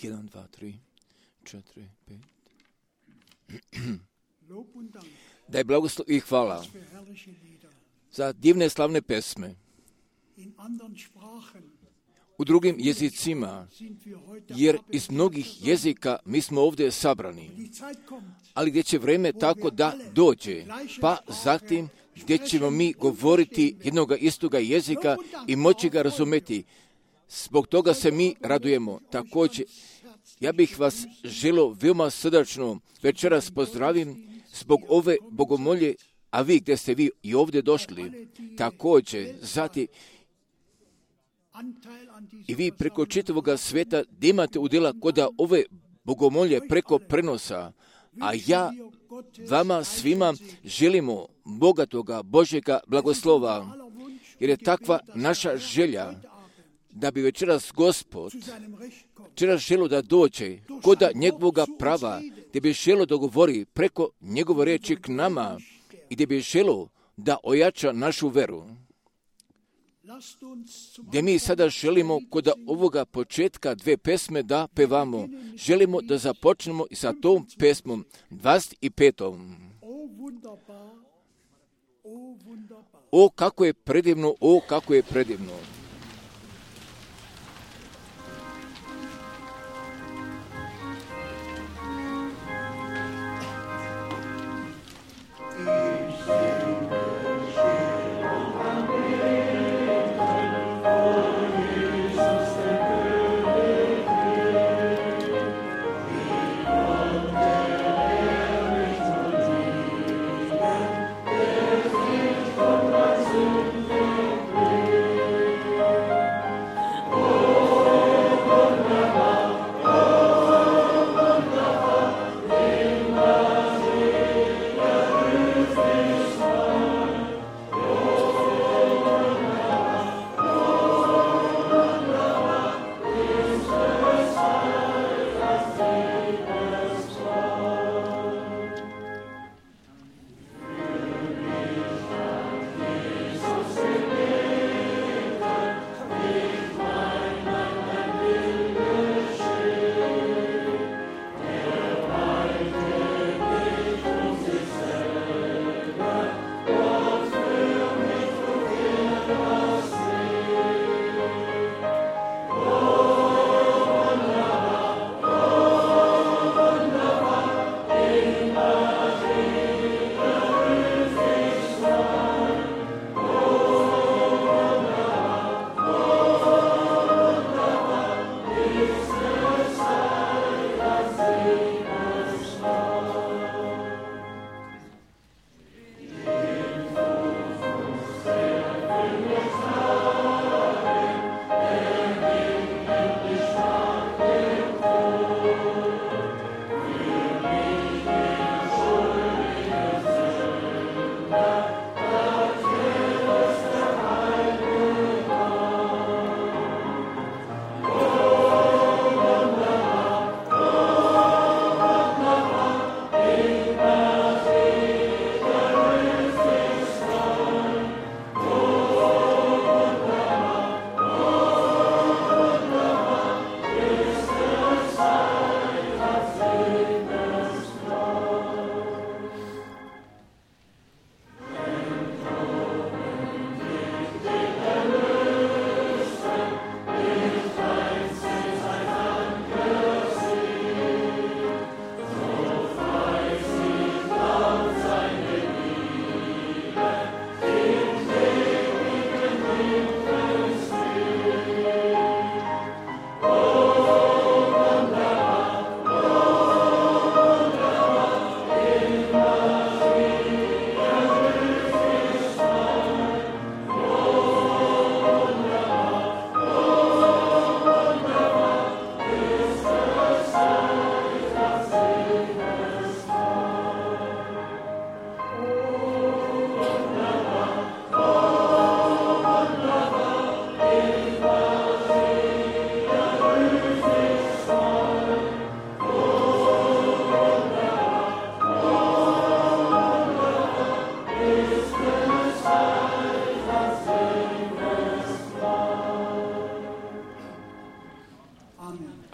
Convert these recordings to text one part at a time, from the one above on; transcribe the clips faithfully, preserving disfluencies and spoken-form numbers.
jedan, dva, tri, četiri, pet. Da je blagoslov i hvala za divne slavne pesme. U drugim jezicima, jer iz mnogih jezika mi smo ovdje sabrani. Ali gdje će vreme tako da dođe, pa zatim gdje ćemo mi govoriti jednoga istoga jezika i moći ga razumjeti. Zbog toga se mi radujemo. Također, ja bih vas želio veoma srdačno večeras pozdravim zbog ove bogomolje, a vi gdje ste vi i ovdje došli, također, zatim i vi preko čitavoga sveta da imate udjela kod ove bogomolje preko prenosa, a ja vama svima želimo bogatoga Božjega blagoslova, jer je takva naša želja da bi večeras Gospod večeras želio da dođe kod njegovoga prava, gdje bi želio da govori preko njegove riječi k nama i gdje bi želio da ojača našu veru. Gdje mi sada želimo kod ovoga početka dve pesme da pevamo. Želimo da započnemo i sa tom pesmom dvadeset petom. O, kako je predivno, o, kako je predivno.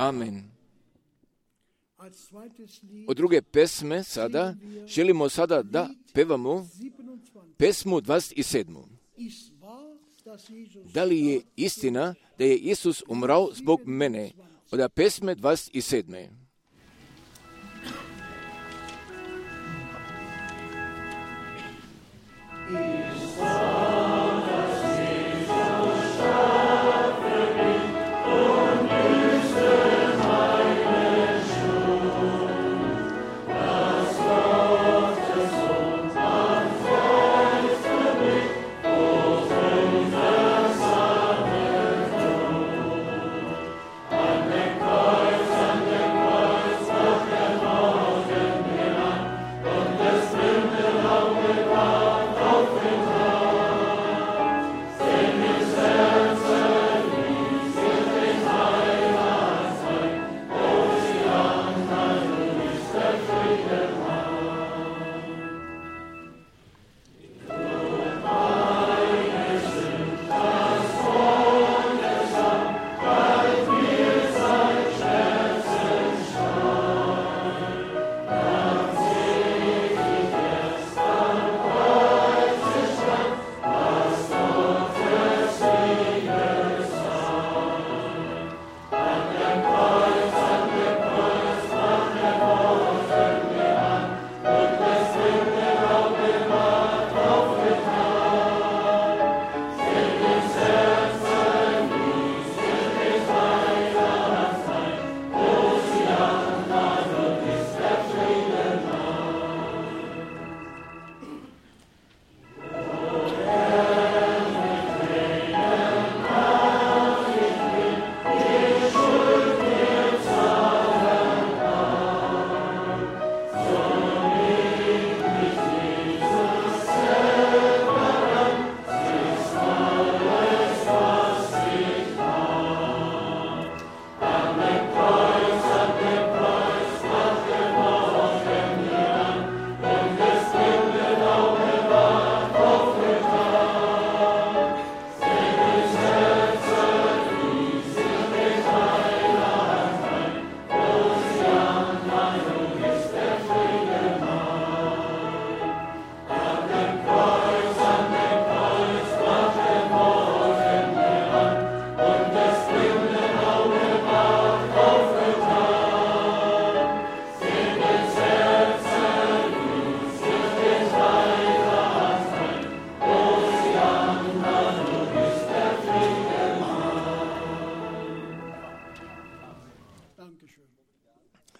Amen. od druge pesme sada želimo sada da pevamo pesmu dvadeset sedam. Da li je istina da je Isus umrao zbog mene? Od pesme dvadeset sedam.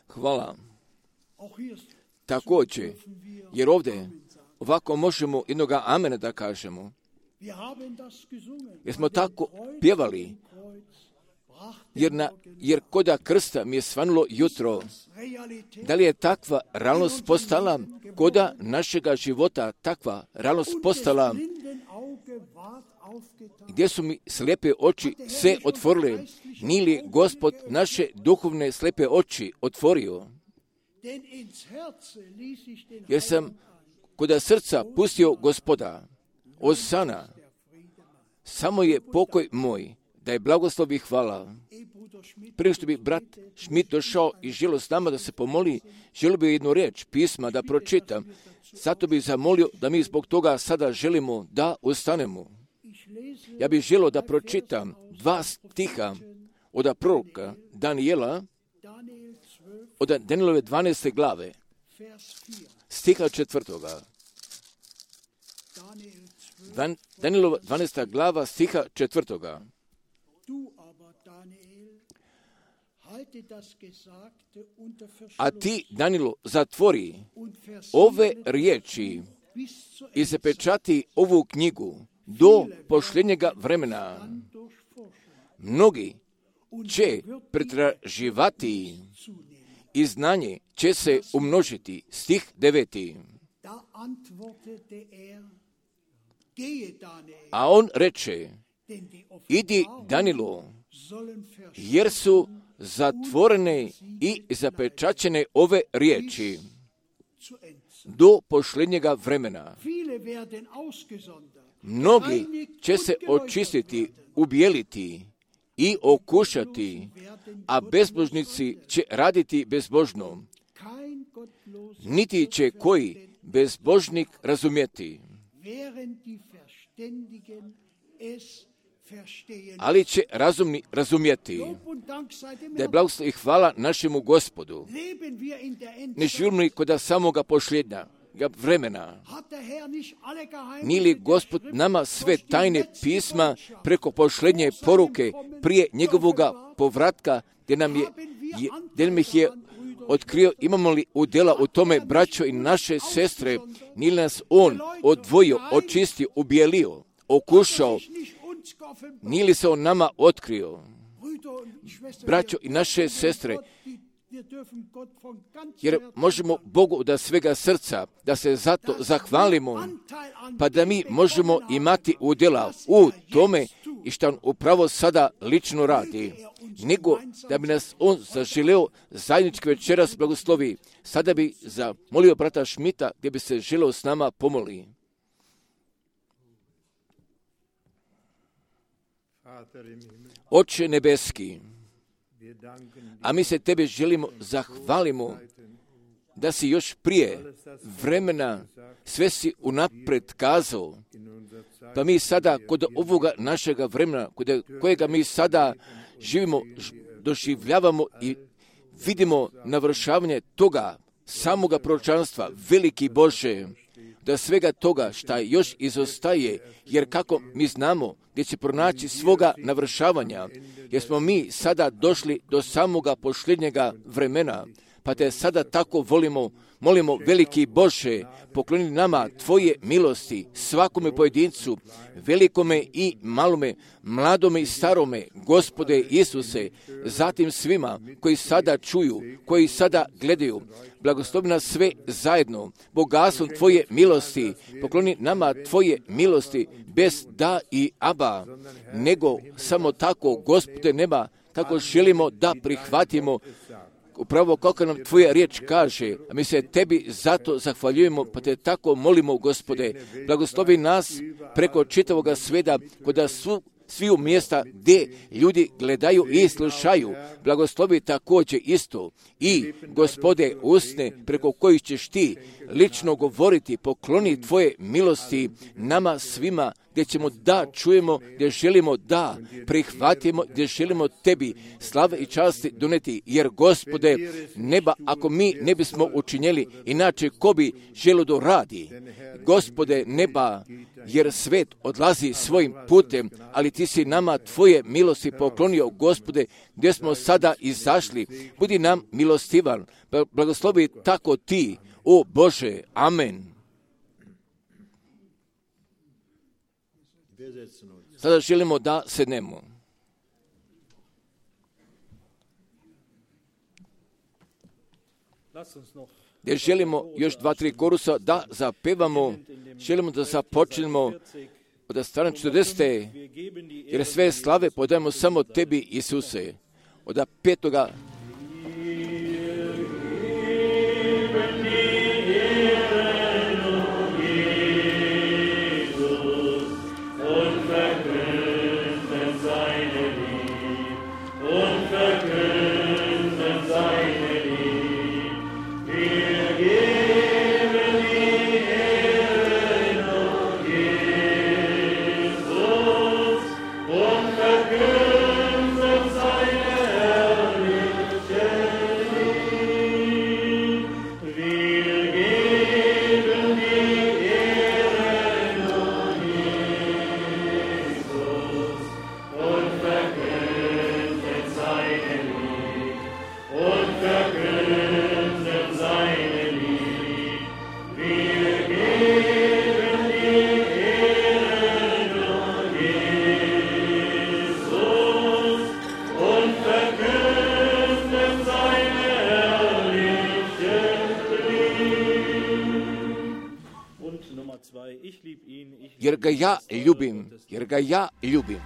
Hvala. Također, jer ovdje ovako možemo jednoga amena da kažemo. Jer smo tako pjevali, jer, na, jer koda krsta mi je svanulo jutro. Da li je takva realnost postala koda našega života, takva realnost postala, gdje su mi slijepe oči se otvorile, nije li Gospod naše duhovne slijepe oči otvorio? Jer sam koda srca pustio Gospoda, osana, samo je pokoj moj, da je blagoslov i hvala. Prije što bi brat Schmidt došao i želio s nama da se pomoli, želio bi jednu riječ pisma da pročitam. Zato bih zamolio da mi zbog toga sada želimo da ustanemo. Ja bih želio da pročitam dva stiha od proroka Danijela, od Danijelove dvanaeste glave, stiha četvrtoga. Danijelova dvanaesta glava, stiha četvrtoga. A ti, Danilo, zatvori ove riječi i zapečati ovu knjigu do posljednjega vremena. Mnogi će pretraživati i znanje će se umnožiti. Stih deveti. A on reče, idi, Danilo, jer su zatvorene i zapečaćene ove riječi do posljednjega vremena. Mnogi će se očistiti, ubijeliti i okušati, a bezbožnici će raditi bezbožno. Niti će koji bezbožnik razumjeti, ali će razumni razumjeti. Da je blagoslov i hvala našemu Gospodu. Ne živimo li kod samoga posljednja vremena. Nije li Gospod nama sve tajne pisma preko posljednje poruke prije njegovoga povratka, gdje nam je, je, gdje nam ih je otkrio, imamo li udjela u tome, braćo i naše sestre, nije li nas On odvojio, očistio, ubijelio, okušao, nije li se On nama otkrio? Braćo i naše sestre, jer možemo Bogu da svega srca, da se zato zahvalimo, pa da mi možemo imati udjela u tome i što On upravo sada lično radi, nego da bi nas On zaželeo zajednički večeras blagoslovi. Sada bi zamolio brata Šmita gdje bi se želeo s nama pomoli. Oče nebeski, a mi se Tebe želimo zahvalimo da si još prije vremena sve si unapred kazao, pa mi sada kod ovoga našega vremena, kod kojega mi sada živimo, doživljavamo i vidimo navršavanje toga samoga proročanstva, veliki Bože, da svega toga šta još izostaje, jer kako mi znamo gdje će pronaći svoga navršavanja, jer smo mi sada došli do samoga posljednjega vremena, pa te sada tako volimo, molimo veliki Bože, pokloni nama Tvoje milosti, svakome pojedincu, velikome i malome, mladome i starome, Gospode Isuse, zatim svima koji sada čuju, koji sada gledaju, blagoslovi nas sve zajedno, bogatstvom Tvoje milosti, pokloni nama Tvoje milosti, bez da i aba, nego samo tako, Gospode neba, tako želimo da prihvatimo upravo kako nam Tvoja riječ kaže, a mi se Tebi zato zahvaljujemo, pa Te tako molimo, Gospode, blagoslovi nas preko čitavoga sveta, kod svu sviju mjesta gdje ljudi gledaju i slušaju, blagoslovi također isto i, Gospode, usne preko kojih ćeš Ti lično govoriti, pokloni Tvoje milosti nama svima, gdje ćemo da čujemo, gdje želimo da prihvatimo, gdje želimo Tebi slave i časti doneti, jer, Gospode, neba, ako mi ne bismo učinjeli, inače ko bi želio da radi? Gospode, neba, jer svet odlazi svojim putem, ali Ti si nama Tvoje milosti poklonio, Gospode, gdje smo sada izašli. Budi nam milostivan, blagoslovi tako Ti, o Bože, amen. Sada želimo da sednemo. Jer želimo još dva, tri korusa da zapevamo, želimo da započnemo od strane četrdesete, jer sve slave podajemo samo Tebi, Isuse. Od petoga jer ga ja ljubim, jer ga ja ljubim.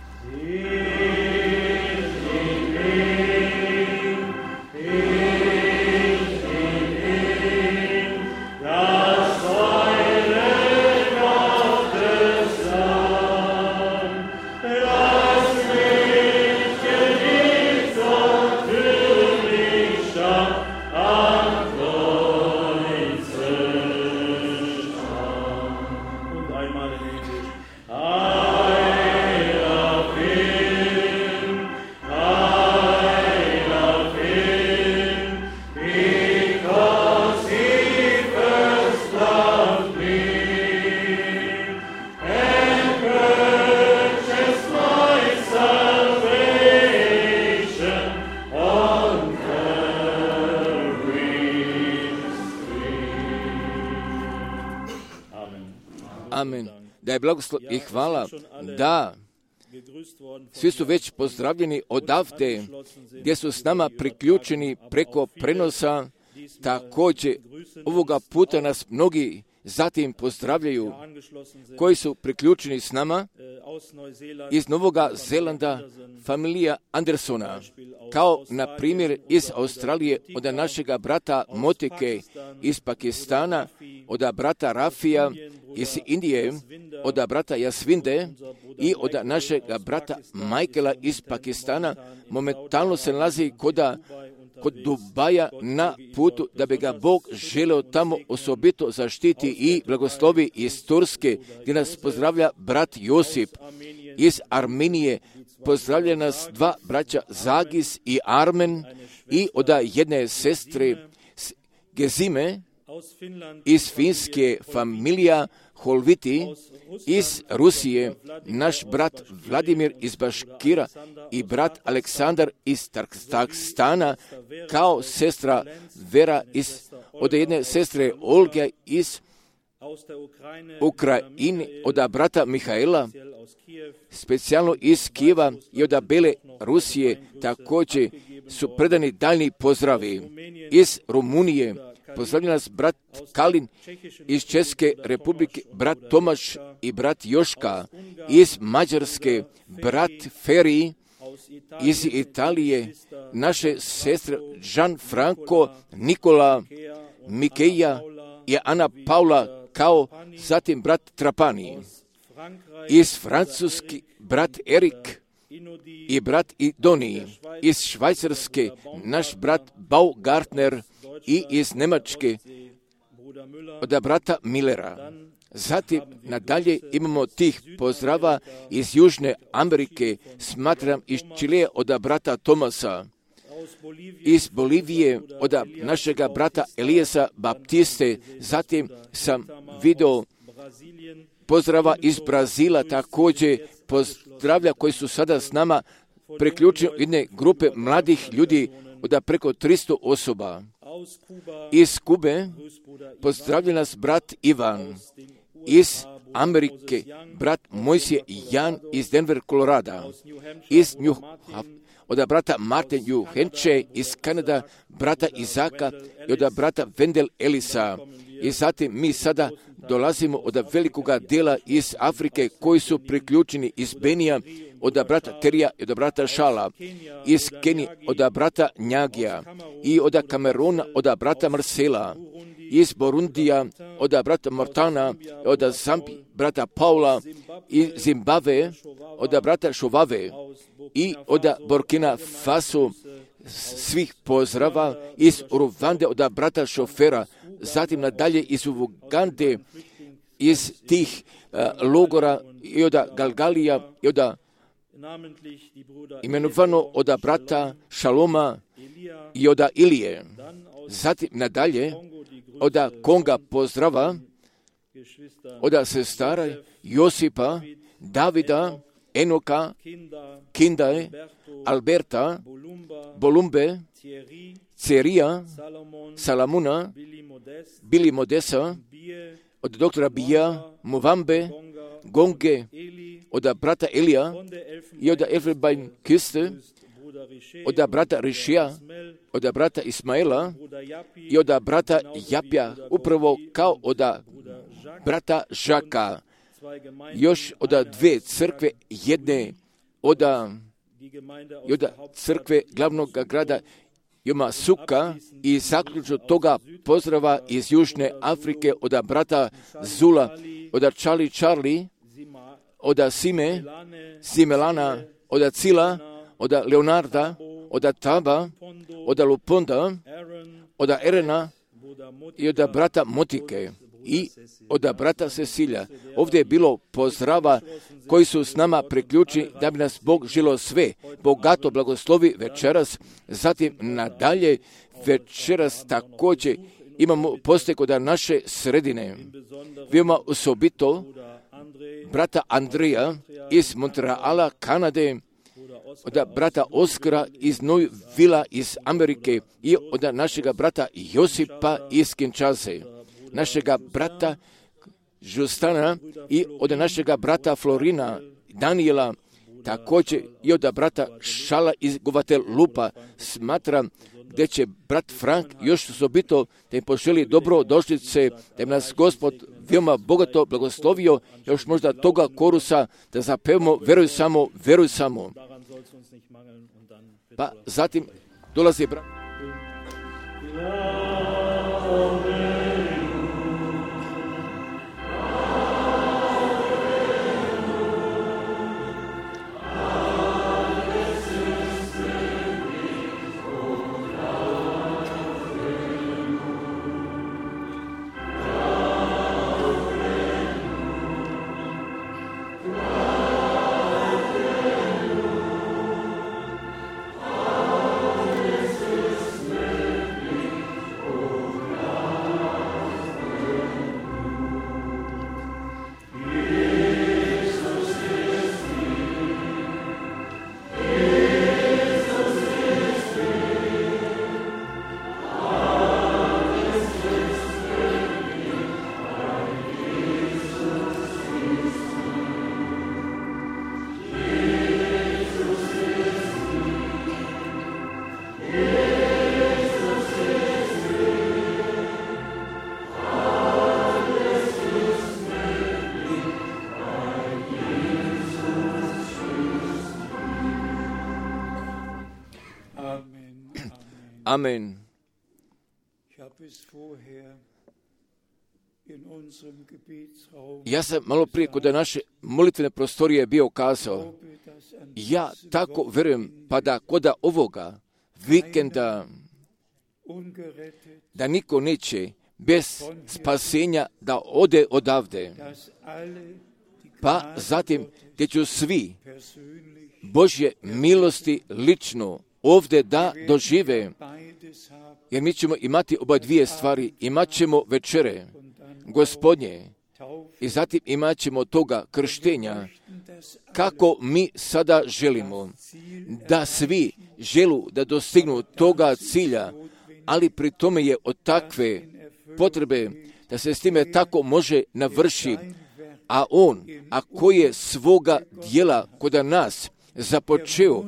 Lass mich da je blagoslov i hvala, da svi su već pozdravljeni odavde, gdje su s nama priključeni preko prenosa. Također, ovoga puta nas mnogi zatim pozdravljaju, koji su priključeni s nama iz Novoga Zelanda, familija Andersona, kao na primjer iz Australije od našega brata Motike, iz Pakistana od brata Rafija, iz Indije od brata Jasvinde i od našega brata Michaela iz Pakistana. Momentalno se nalazi kod kod Dubaja na putu da bi ga Bog želeo tamo osobito zaštiti i blagoslovi iz Turske, gdje nas pozdravlja brat Josip. Iz Armenije pozdravlja nas dva braća Zagis i Armen i od jedne sestre Gezime iz Finske familija Holviti, iz Rusije naš brat Vladimir iz Baškira i brat Aleksandar iz Takstana, kao sestra Vera iz, od jedne sestre Olge iz Ukrajine, od brata Mihaela, specijalno iz Kijeva i od Bele Rusije, također su predani daljni pozdravi. Iz Rumunije pozdravlja nas brat Kalin, iz Česke republike brat Tomaš i brat Joška, iz Mađarske brat Feri, iz Italije naše sestre Gianfranco, Nikola, Mikeja i Ana Paula, kao zatim brat Trapani. Iz Francuski brat Erik i brat Idoni, iz Švajcarske naš brat Baugartner i iz Njemačke od brata Millera. Zatim nadalje imamo tih pozdrava iz Južne Amerike, smatram iz Čilea od brata Tomasa, iz Bolivije od našega brata Elijesa Baptiste. Zatim sam vidio pozdrava iz Brazila, također pozdravlja koji su sada s nama priključeni jedne grupe mladih ljudi od preko tristo osoba. Iz Kube pozdravlja nas brat Ivan, iz Amerike brat Mojsije Jan iz Denver, Colorado, iz New od brata Martin New Hampshire, iz Kanada brata Izaka i od brata Wendell Elisa. I zatim mi sada dolazimo od velikoga dijela iz Afrike koji su priključeni iz Benija, od brata Terija i od brata Šala, iz Kenije od brata Njagija i od Kameruna od brata Marcela, iz Borundija od brata Mortana, od Zambi brata Paula, iz Zimbabve od brata Šovave i od Burkina Faso svih pozdrava, iz Uruvande od brata Šofera, zatim nadalje iz Ugande, iz tih uh, logora i od Galgalija i od imenovano od brata Šaloma i od Ilije. Zatim nadalje od Konga pozdrava, od sestara Josipa, Davida, Enoka, Kindae, Alberta, Bolumbe, Cerija, Salamuna, Bili Modesa, od doktora Bija, Movambe, Gonge, od brata Elija i od Elfenbein Kiste, od brata Rišija, od brata Ismaela i od brata Japja, upravo kao od brata Žaka. Još od dve crkve, jedne od, od crkve glavnog grada Joma Suka i zaključno toga pozdrava iz Južne Afrike od brata Zula, od Charlie Charlie, od Sime, Simelana, od Cila, od Leonarda, od Taba, od Luponda, od Erena i od brata Motike i od brata Cecilija. Ovdje je bilo pozdrava koji su s nama priključeni da bi nas Bog želio sve bogato blagoslovi večeras. Zatim nadalje večeras također imamo poste kod naše sredine. Vidimo osobito brata Andrija iz Montreala, Kanade, od brata Oskara iz Novila iz Amerike i od našega brata Josipa iz Kinshase, našega brata Žustana i od našega brata Florina, Daniela, također i od brata Šala iz Guvatelupa. Smatram gdje će brat Frank još osobito da im poželi dobro došlice, da im nas Gospod veoma bogato blagoslovio, još možda toga korusa da zapevamo veruj samo, veruj samo. Pa zatim dolazi brat. Amen. Ja sam malo prije kod naše molitvene prostorije bio kazao, ja tako vjerujem pa da kod ovoga vikenda da niko neće bez spasenja da ode odavde. Pa zatim gdje ću svi Božje milosti lično ovdje da dožive, jer mi ćemo imati oba dvije stvari, imat ćemo večere Gospodnje i zatim imat ćemo toga krštenja, kako mi sada želimo da svi želu da dostignu toga cilja, ali pri tome je od takve potrebe da se s time tako može navrši, a on, ako je svoga dijela kod nas započeo,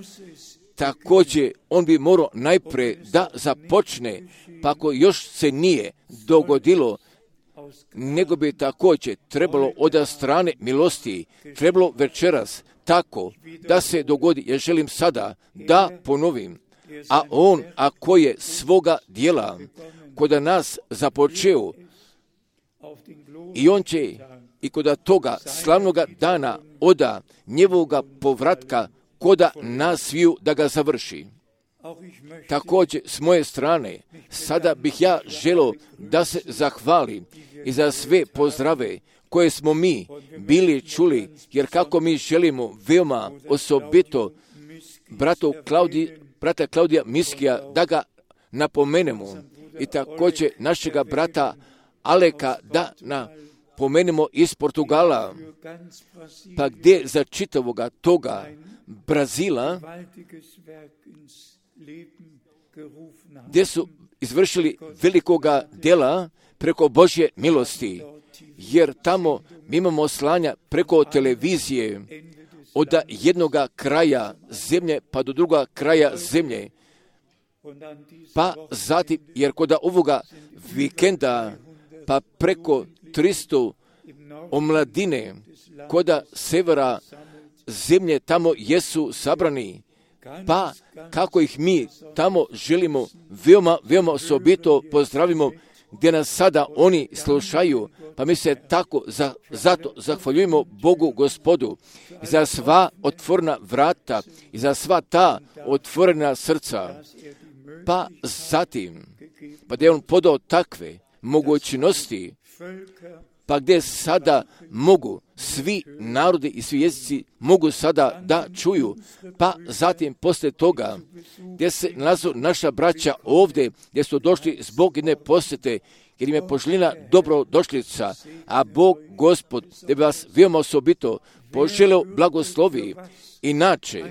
također on bi morao najprije da započne, pa ako još se nije dogodilo, nego bi također trebalo od strane milosti, trebalo večeras tako da se dogodi. Ja želim sada da ponovim, a on ako je svoga dijela kod nas započeo, i on će i kod toga slavnoga dana oda njegovoga povratka koda nas sviju da ga završi. Također, s moje strane, sada bih ja želio da se zahvalim i za sve pozdrave koje smo mi bili čuli, jer kako mi želimo veoma osobito bratu Klaudi, brata Klaudija Miskija da ga napomenemo i također našega brata Aleka da napomenemo iz Portugala, pa gdje za čitavoga toga Brazila, gdje su izvršili velikoga dela preko Božje milosti, jer tamo mi imamo slanja preko televizije od jednoga kraja zemlje pa do druga kraja zemlje, pa zatim, jer kod ovoga vikenda pa preko tristo omladine kod severa zemlje tamo jesu sabrani, pa kako ih mi tamo želimo veoma, veoma osobito pozdravimo, gdje nas sada oni slušaju, pa mi se tako za, zato zahvaljujemo Bogu Gospodu i za sva otvorena vrata i za sva ta otvorena srca, pa zatim, pa da je on podao takve mogućnosti, pa gdje sada mogu svi narodi i svi jezici mogu sada da čuju, pa zatim poslije toga gdje se nalazu naša braća ovdje, gdje su došli zbog jedne posjete, jer im je poželjena dobrodošlica, a Bog Gospod da bi vas veoma osobito poželeo blagoslovi. Inače,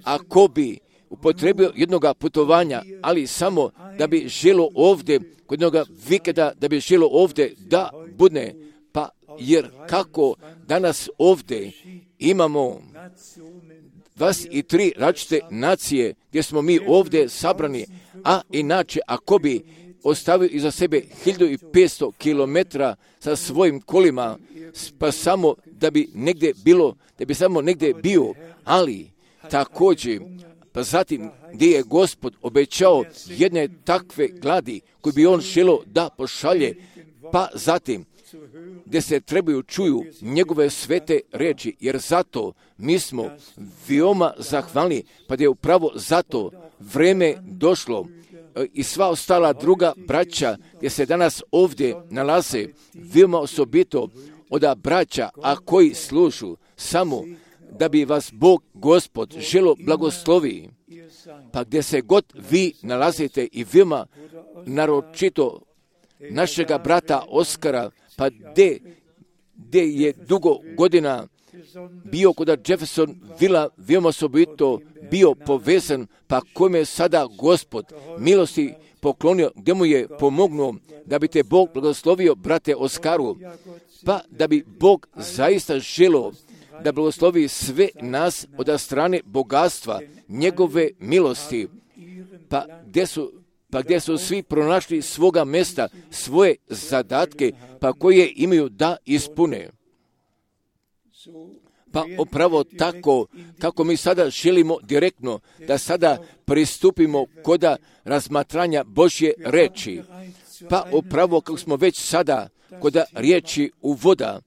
ako bi upotrebio jednoga putovanja, ali samo da bi želo ovdje, kod jednoga vikenda, da bi želo ovdje da budne, pa jer kako danas ovdje imamo dvadeset tri različite nacije gdje smo mi ovdje sabrani, a inače ako bi ostavio iza sebe hiljadu petsto kilometara sa svojim kolima, pa samo da bi negdje bilo, da bi samo negdje bio, ali također, pa zatim gdje je Gospod obećao jedne takve gladi koje bi on želio da pošalje, pa zatim gdje se trebaju čuju njegove svete riječi, jer zato mi smo veoma zahvalni, pa da je upravo zato vreme došlo i sva ostala druga braća gdje se danas ovdje nalaze, veoma osobito od braća, a koji služu samo da bi vas Bog Gospod želo blagoslovi, pa gdje se god vi nalazite i veoma naročito našega brata Oskara, pa gdje, gdje je dugo godina bio kod Jefferson Villa, veoma osobito bio povezan, pa kome je sada Gospod milosti poklonio, gdje mu je pomognuo da bi te Bog blagoslovio, brate Oskaru, pa da bi Bog zaista želio da blagoslovi sve nas od strane bogatstva, njegove milosti, pa gdje su pa gdje su svi pronašli svoga mjesta, svoje zadatke, pa koje imaju da ispune. Pa upravo tako, kako mi sada želimo direktno da sada pristupimo koda razmatranja Božje reči, pa upravo kako smo već sada koda riječi uvoda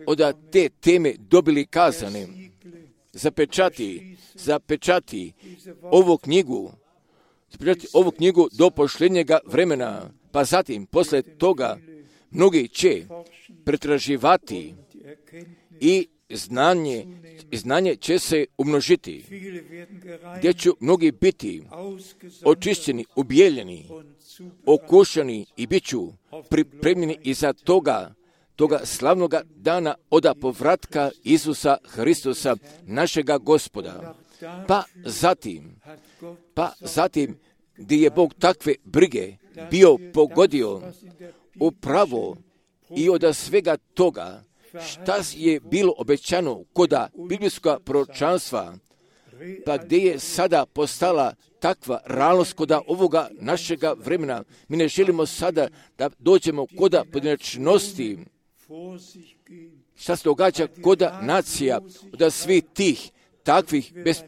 od te teme dobili kazane, zapečati, zapečati ovu knjigu, zapečati ovu knjigu do posljednjega vremena, pa zatim, posle toga, mnogi će pretraživati i znanje, znanje će se umnožiti, gdje će mnogi biti očišćeni, ubijeljeni, okušani i bit ću pripremljeni iza toga, toga slavnoga dana oda povratka Isusa Hristusa, našega Gospoda. Pa zatim, pa zatim, gdje je Bog takve brige bio pogodio upravo i od svega toga, šta je bilo obećano koda biblijskoga proročanstva, pa gdje je sada postala takva realnost koda ovoga našega vremena. Mi ne želimo sada da dođemo koda pojedinačnosti, šta se događa koda nacija, od svih tih takvih bez,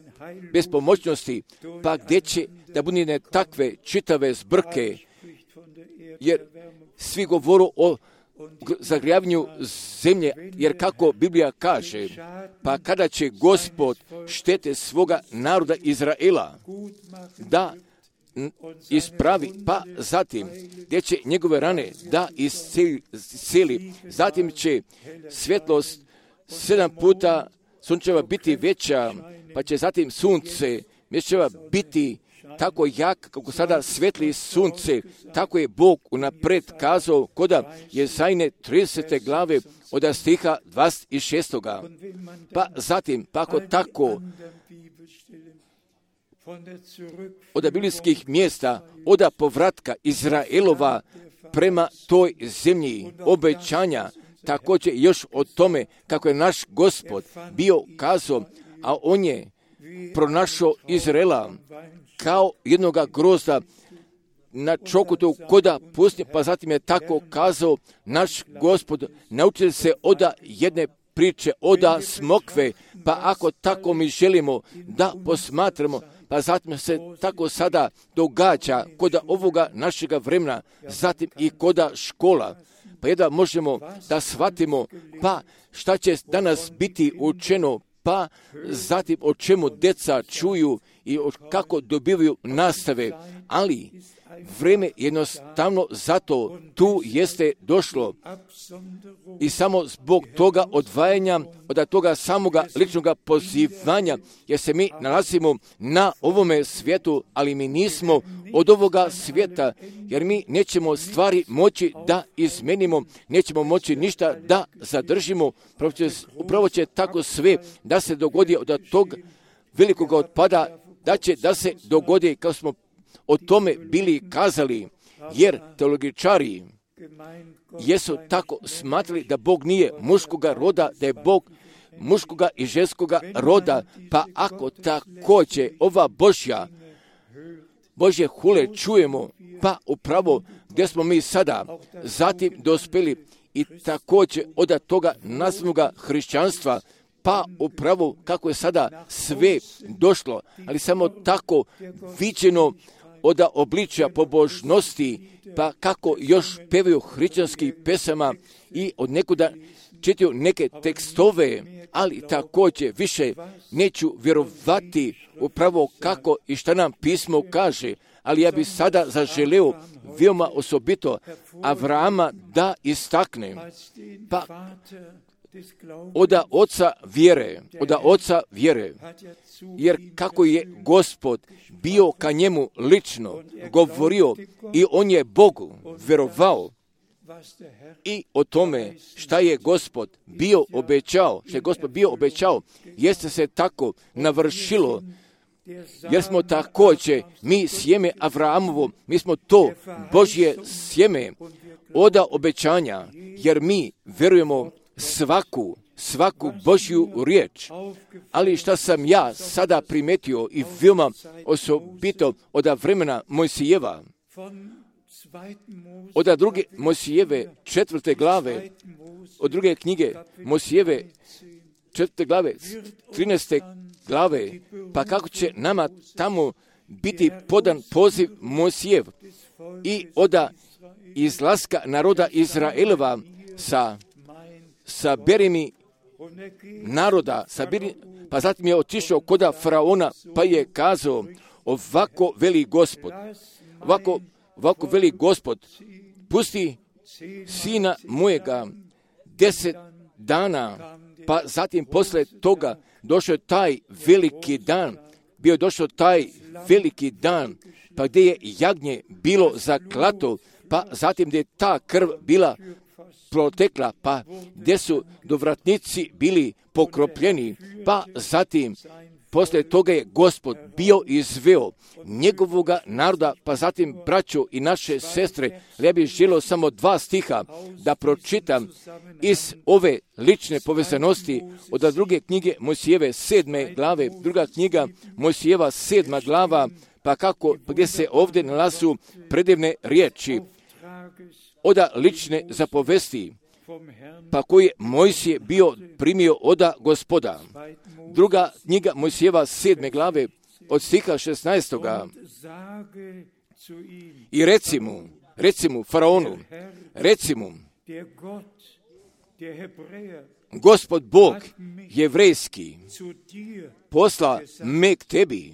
bespomoćnosti, pa gdje će da bude takve čitave zbrke, jer svi govoru o zagrijavanju zemlje, jer kako Biblija kaže, pa kada će Gospod štete svoga naroda Izraela da ispravi, pa zatim gdje će njegove rane da isceli, zatim će svjetlost sedam puta sunčeva biti veća, pa će zatim sunce mjesečeva biti tako jak kako sada svetli sunce, tako je Bog unapred kazao koda Jezajne tridesete glave od stiha dvadeset šest. Pa zatim, pa ako tako, od biblijskih mjesta, od povratka Izraelova prema toj zemlji obećanja, također još o tome kako je naš Gospod bio kazao, a on je pronašao Izraela kao jednoga grozda na čokutu koda pustinje, pa zatim je tako kazao naš Gospod, naučili se oda jedne priče, oda smokve, pa ako tako mi želimo da posmatramo, pa zatim se tako sada događa koda ovoga našega vremena, zatim i koda škola, pa jedva možemo da shvatimo, pa šta će danas biti učeno, pa zatim o čemu deca čuju i kako dobivaju nastave, ali vreme jednostavno zato tu jeste došlo i samo zbog toga odvajanja od toga samoga ličnoga pozivanja, jer se mi nalazimo na ovome svijetu, ali mi nismo od ovoga svijeta, jer mi nećemo stvari moći da izmenimo, nećemo moći ništa da zadržimo, upravo će tako sve da se dogodi od tog velikog otpada, da će da se dogodi kao smo o tome bili kazali, jer teologičari jesu tako smatrali da Bog nije muškoga roda, da je Bog muškoga i ženskoga roda, pa ako također ova Božja, Božje hule čujemo, pa upravo gdje smo mi sada zatim dospjeli i također od toga nazvanoga hrišćanstva, pa upravo kako je sada sve došlo, ali samo tako viđeno od obličja pobožnosti, pa kako još pevaju hrišćanskih pesama i od nekuda čitaju neke tekstove, ali također više neću vjerovati upravo kako i šta nam pismo kaže, ali ja bi sada zaželeo veoma osobito Avrama da istaknem, pa oda oca vjere, oda oca vjere, jer kako je Gospod bio ka njemu lično govorio i on je Bogu vjerovao i o tome šta je Gospod bio obećao, šta je Gospod bio obećao, jeste se tako navršilo, jer smo također, mi sjeme Avramovo, mi smo to Božje sjeme oda obećanja, jer mi vjerujemo svaku, svaku Božju riječ. Ali šta sam ja sada primetio i veoma osobito od vremena Mojsijeva, od druge Mojsijeve četvrte glave, od druge knjige Mojsijeve četvrte glave, trinaeste glave, pa kako će nama tamo biti podan poziv Mojsijev i oda izlaska naroda Izraelova sa saberi mi naroda, saberi, pa zatim je otišao koda faraona, pa je kazao, ovako veli Gospod, ovako, ovako veli Gospod, pusti sina mojega deset dana, pa zatim posle toga došao taj veliki dan, bio došao taj veliki dan, pa gdje je jagnje bilo zaklato, pa zatim gdje je ta krv bila protekla, pa gdje su dovratnici bili pokropljeni, pa zatim poslije toga je Gospod bio izveo njegovoga naroda, pa zatim braćo i naše sestre, ja bih želio samo dva stiha da pročitam iz ove lične povezanosti od druge knjige Mojsijeve sedme glave, druga knjiga Mojsijeva sedma glava, pa kako, pa gdje se ovdje nalazu predivne riječi oda lične zapovesti, pa koji je Mojsije bio primio oda Gospoda. Druga knjiga Mojsijeva sedme glave od stiha šesnaestoga. I reci mu, reci mu, faraonu, reci mu, Gospod Bog jevrejski posla me k tebi,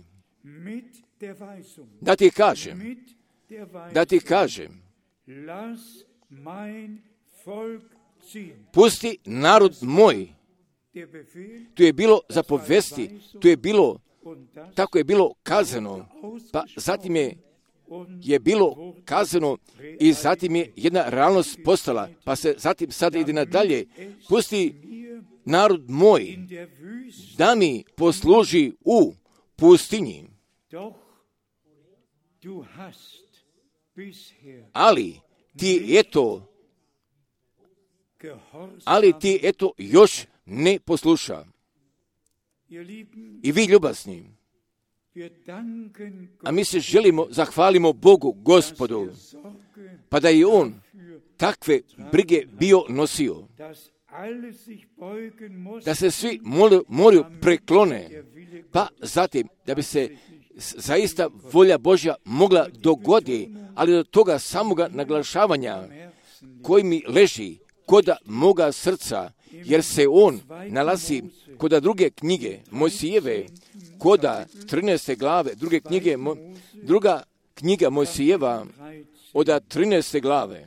da ti kažem, da ti kažem, pusti narod moj. Tu je bilo zapovesti, tu je bilo, tako je bilo kazano, pa zatim je, je bilo kazano i zatim je jedna realnost postala, pa se zatim sada ide nadalje, pusti narod moj da mi posluži u pustinji. Ali ti eto, ali ti eto još ne posluša. I vi ljubazni, a mi se želimo, zahvalimo Bogu, Gospodu, pa da je On takve brige bio nosio, da se svi moraju preklone, pa zatim da bi se zaista volja Božja mogla dogodi, ali do toga samoga naglašavanja koji mi leži koda moga srca, jer se on nalazi koda druge knjige Mojsijeve, koda trinaeste glave, druge knjige, druga knjiga Mojsijeva, od trinaeste glave,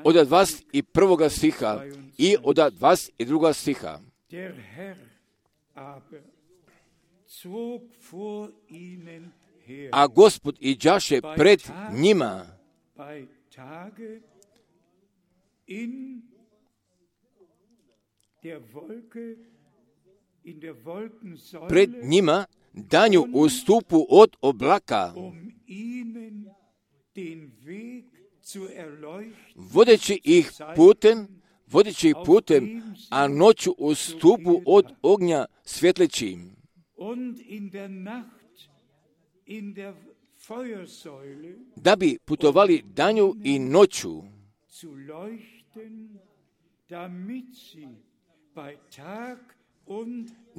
od dvadeset prvog stiha i od dvadeset drugog stiha. A Gospod iđaše pred njima pred njima danju u stupu od oblaka, vodeći ih putem, vodeći ih putem, a noću u stupu od ognja svjetleći. Da bi putovali danju i noću,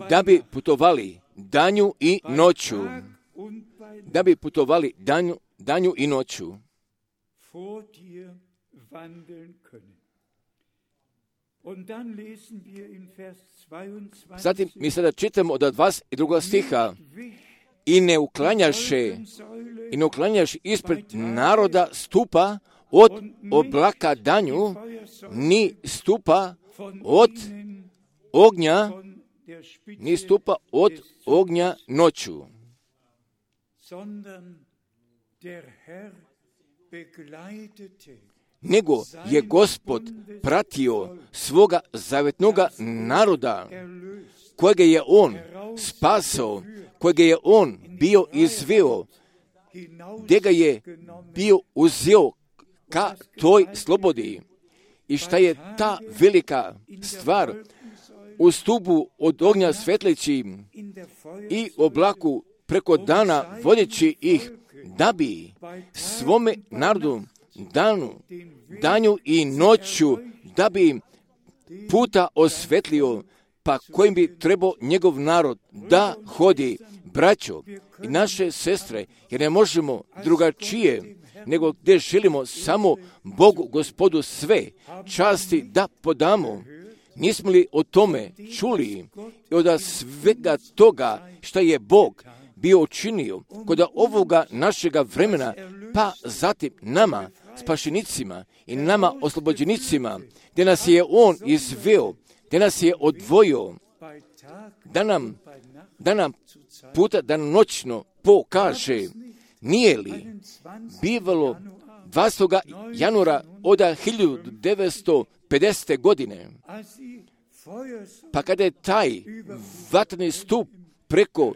da bi putovali danju i noću, da bi putovali danju, danju i noću. Zatim mi sada čitamo od dvadeset drugog stiha: i ne uklanjaše, i ne uklanjaš ispred naroda stupa od oblaka danju, ni stupa od ognja, ni stupa od ognja noću. Nego je Gospod pratio svoga zavetnoga naroda, kojega je on spasao, kojega je on bio izveo, gdje ga je bio uzeo ka toj slobodi. I šta je ta velika stvar? U stupu od ognja svetleći i oblaku preko dana vodeći ih, da bi svome narodu danu, danju i noću, da bi im puta osvetlio, pa kojim bi trebao njegov narod da hodi. Braćo i naše sestre, jer ne možemo drugačije, nego gdje želimo samo Bogu, Gospodu, sve časti da podamo. Nismo li o tome čuli i od svega toga što je Bog bio učinio kod ovoga našega vremena, pa zatim nama, spašenicima i nama, oslobođenicima, gdje nas je On izveo, gdje nas je odvojio, da nam, da nam puta danonoćno pokaže. Nije li bivalo dvadesetog januara od hiljadu devetsto pedesete. godine, pa kada je taj vatreni stup preko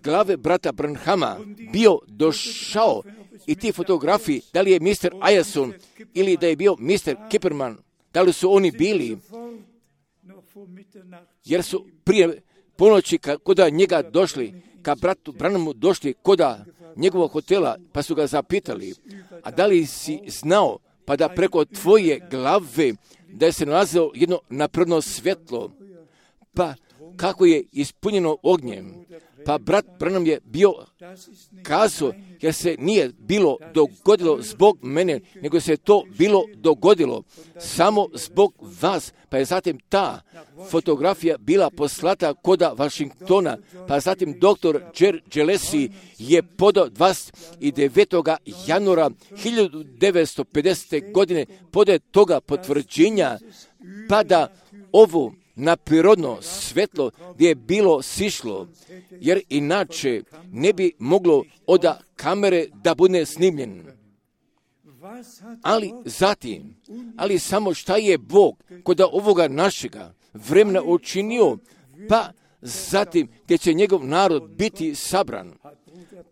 glave brata Branhama bio došao, i ti fotografiji, da li je mister Ajason ili da je bio mister Kipperman, da li su oni bili, jer su prije ponoći koda njega došli, ka bratu Branhamu došli koda njegovog hotela, pa su ga zapitali: a da li si znao, pa da preko tvoje glave da je se nalazilo jedno napredno svjetlo, pa kako je ispunjeno ognjem? Pa brat Branham je bio kazao, jer se nije bilo dogodilo zbog mene, nego se to bilo dogodilo samo zbog vas. Pa je zatim ta fotografija bila poslata koda Washingtona, pa zatim doktor Jer Gillespie je podao dvadeset devetog januara hiljadu devetsto pedesete. godine podaje toga potvrđenja, pa da ovo na prirodno svetlo gdje je bilo sišlo, jer inače ne bi moglo od kamere da bude snimljen. Ali zatim, ali samo šta je Bog kod ovoga našega vremena učinio, pa zatim gdje će njegov narod biti sabran,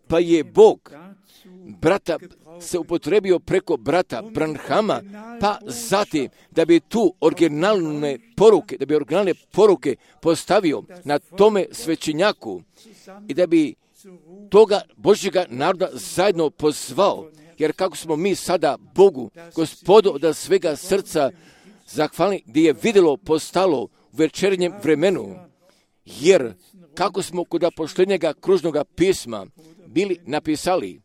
pa je Bog brata se upotrebio preko brata Branhama, pa zatim da bi tu originalne poruke, da bi originalne poruke postavio na tome svećenjaku i da bi toga Božjega naroda zajedno pozvao, jer kako smo mi sada Bogu, Gospodu od svega srca zahvalni, gdje je vidjelo postalo u večernjem vremenu, jer kako smo kod poštenjega kružnoga pisma bili napisali,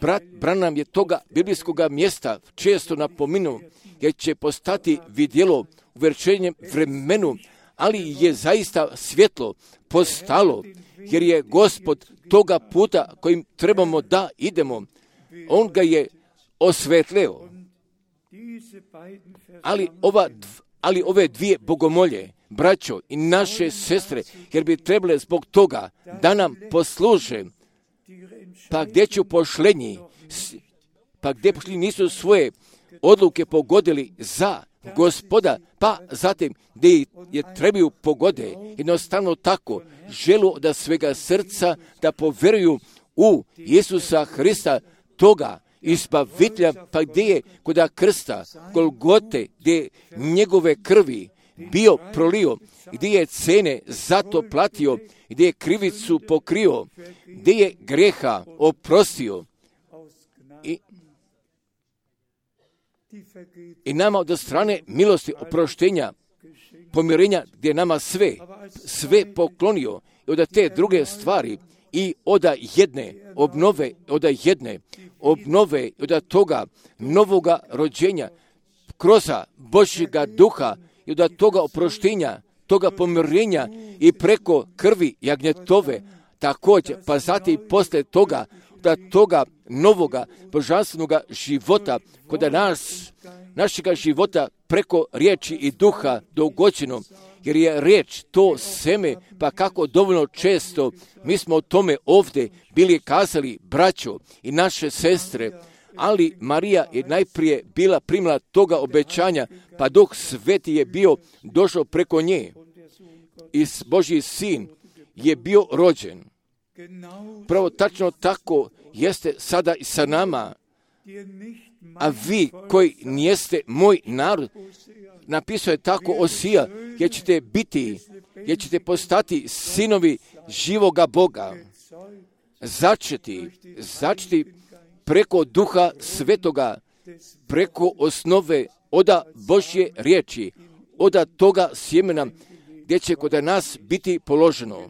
brat Branham je toga biblijskog mjesta često napomenuo, jer će postati vidjelo u večernjem vremenu, ali je zaista svjetlo postalo, jer je Gospod toga puta kojim trebamo da idemo, On ga je osvetleo. Ali, ova, ali ove dvije bogomolje, braćo i naše sestre, jer bi trebale zbog toga da nam posluže, pa gdje ću pošlenji, pa gdje pošlenji nisu svoje odluke pogodili za Gospoda, pa zatim gdje je trebaju pogode, jednostavno tako, želu da svega srca da poveruju u Isusa Hrista, toga izbavitelja, pa gdje je koda krsta, Golgote, gdje je njegove krvi bio prolio, gdje je cene zato platio, gdje je krivicu pokrio, gdje je greha oprostio. I, i nama od strane milosti, oproštenja, pomirenja, gdje je nama sve, sve poklonio i od te druge stvari i od jedne obnove, od jedne obnove, od toga novoga rođenja, kroz Božjega duha i od toga oproštenja, toga pomirenja i preko krvi jagnjetove, također, pa zatim poslije toga, da toga novoga božanstvenoga života, kod nas, našega života preko riječi i duha dogođeno, jer je riječ to seme, pa kako dovoljno često mi smo o tome ovdje bili kazali, braćo i naše sestre, ali Marija je najprije bila primila toga obećanja, pa Duh Sveti je bio došao preko nje i Božji sin je bio rođen. Pravo tačno tako jeste sada i sa nama, a vi koji nijeste moj narod, napisao je tako Osija, jer ćete biti, jer ćete postati sinovi živoga Boga, začeti, začeti preko Duha Svetoga, preko osnove oda Božje riječi, oda toga sjemena, gdje će kod nas biti položeno.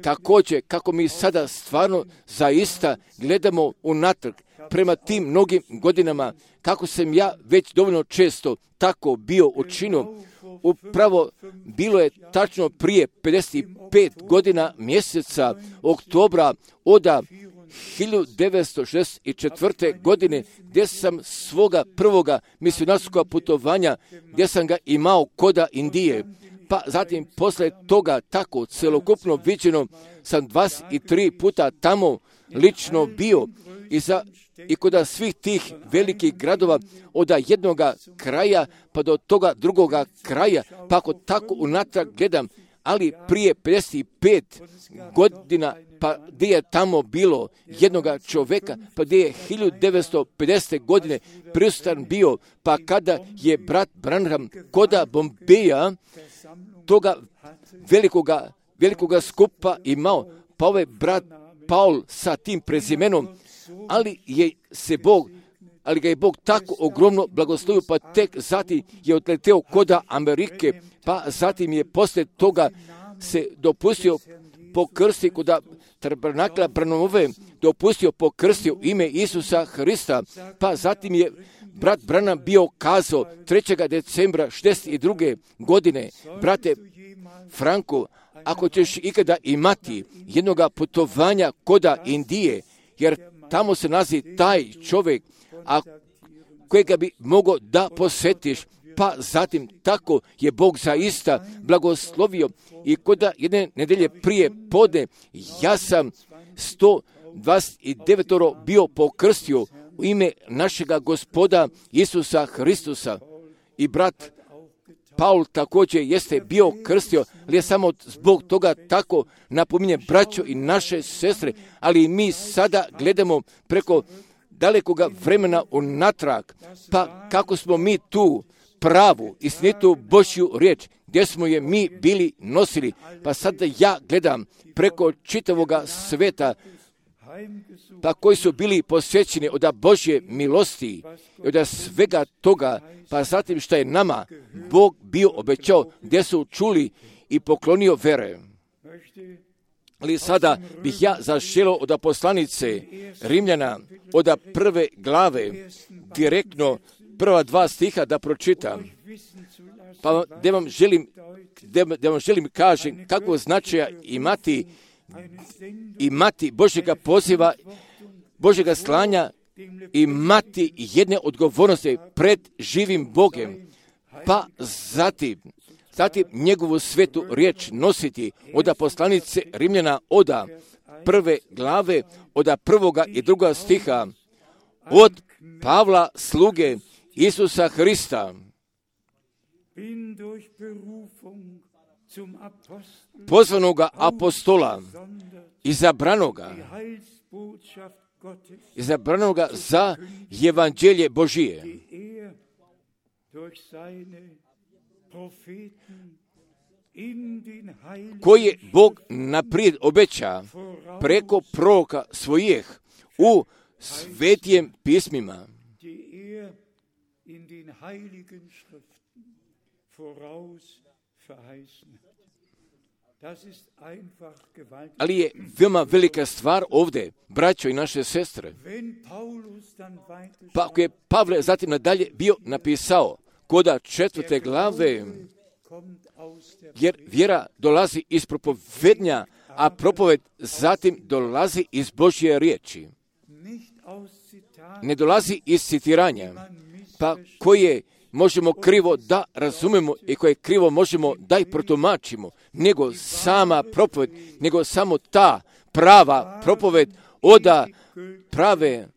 Također, kako mi sada stvarno zaista gledamo unatrag prema tim mnogim godinama, kako sam ja već dovoljno često tako bio učinio, upravo bilo je tačno prije pedeset pet godina mjeseca oktobra oda hiljadu devetsto šezdeset četvrte. godine, gdje sam svoga prvoga misionarskog putovanja, gdje sam ga imao koda Indije, pa zatim poslije toga tako celokupno viđeno sam dvadeset tri puta tamo lično bio i, za, i kod svih tih velikih gradova od jednoga kraja pa do toga drugoga kraja, pa ako tako unatrag gledam, ali prije pedeset pet godina, pa gdje je tamo bilo jednoga čovjeka, pa gdje je hiljadu devetsto pedesete. godine prisutan bio, pa kada je brat Branham koda Bombeja toga velikoga, velikoga skupa imao, pa ovaj brat Paul sa tim prezimenom, ali je se Bog, ali ga je Bog tako ogromno blagoslovio, pa tek zatim je odleteo koda Amerike, pa zatim je poslije toga se dopustio pokrsti koda tabernakla Branhamove, dopustio pokrstio ime Isusa Hrista, pa zatim je brat Branham bio kazao trećeg decembra šezdeset druge. godine, brate Franko, ako ćeš ikada imati jednoga putovanja koda Indije, jer tamo se nalazi taj čovjek, a kojega bi mogao da posjetiš, pa zatim tako je Bog zaista blagoslovio i koda jedne nedelje prije podne ja sam sto dvadeset devet bio pokrstio u ime našega Gospoda Isusa Hristusa i brat Paul također jeste bio krstio, ali je samo zbog toga tako napominje braćo i naše sestre, ali mi sada gledamo preko dalekoga vremena unatrag, pa kako smo mi tu pravu, istinitu Božju riječ, gdje smo je mi bili nosili, pa sada ja gledam preko čitavoga sveta, pa koji su bili posvećeni od Božje milosti i od svega toga, pa zatim što je nama Bog bio obećao, gdje su čuli i poklonio vere. Ali sada bih ja zaželio od poslanice Rimljana, od prve glave, direktno prva dva stiha da pročitam. Pa da vam želim, da vam želim kažem kako značaja imati imati Božjega poziva, Božjega slanja, imati jedne odgovornosti pred živim Bogem, pa zatim, zatim njegovu svetu riječ nositi od poslanice Rimljana od prve glave, od prvoga i druga stiha, od Pavla sluge Isusa Hrista, pozvanoga apostola, izabranoga izabranoga za evanđelje Božije, koje Bog naprijed obeća preko proroka svojih u svetijem pismima. Ali je veoma velika stvar ovdje, braćo i naše sestre. Pa ako je Pavle zatim nadalje bio napisao koda četvrte glave, jer vjera dolazi iz propovednja, a propoved zatim dolazi iz Božje riječi. Ne dolazi iz citiranja, pa koje možemo krivo da razumemo i koje krivo možemo da i protumačimo, nego sama propoved, nego samo ta prava propoved oda prave,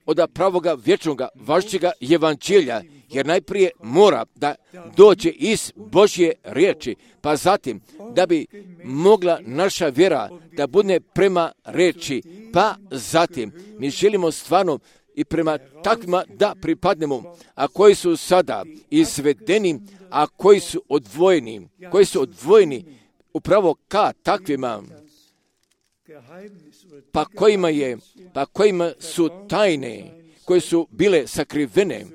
oda pravoga vječnoga važećega evanđelja, jer najprije mora da dođe iz Božje riječi, pa zatim da bi mogla naša vjera da bude prema riječi, pa zatim mi želimo stvarno i prema takvima da pripadnemo, a koji su sada izvedeni, a koji su odvojeni, koji su odvojeni upravo ka takvima, pa kojima je, pa kojima su tajne, koje su bile sakrivene,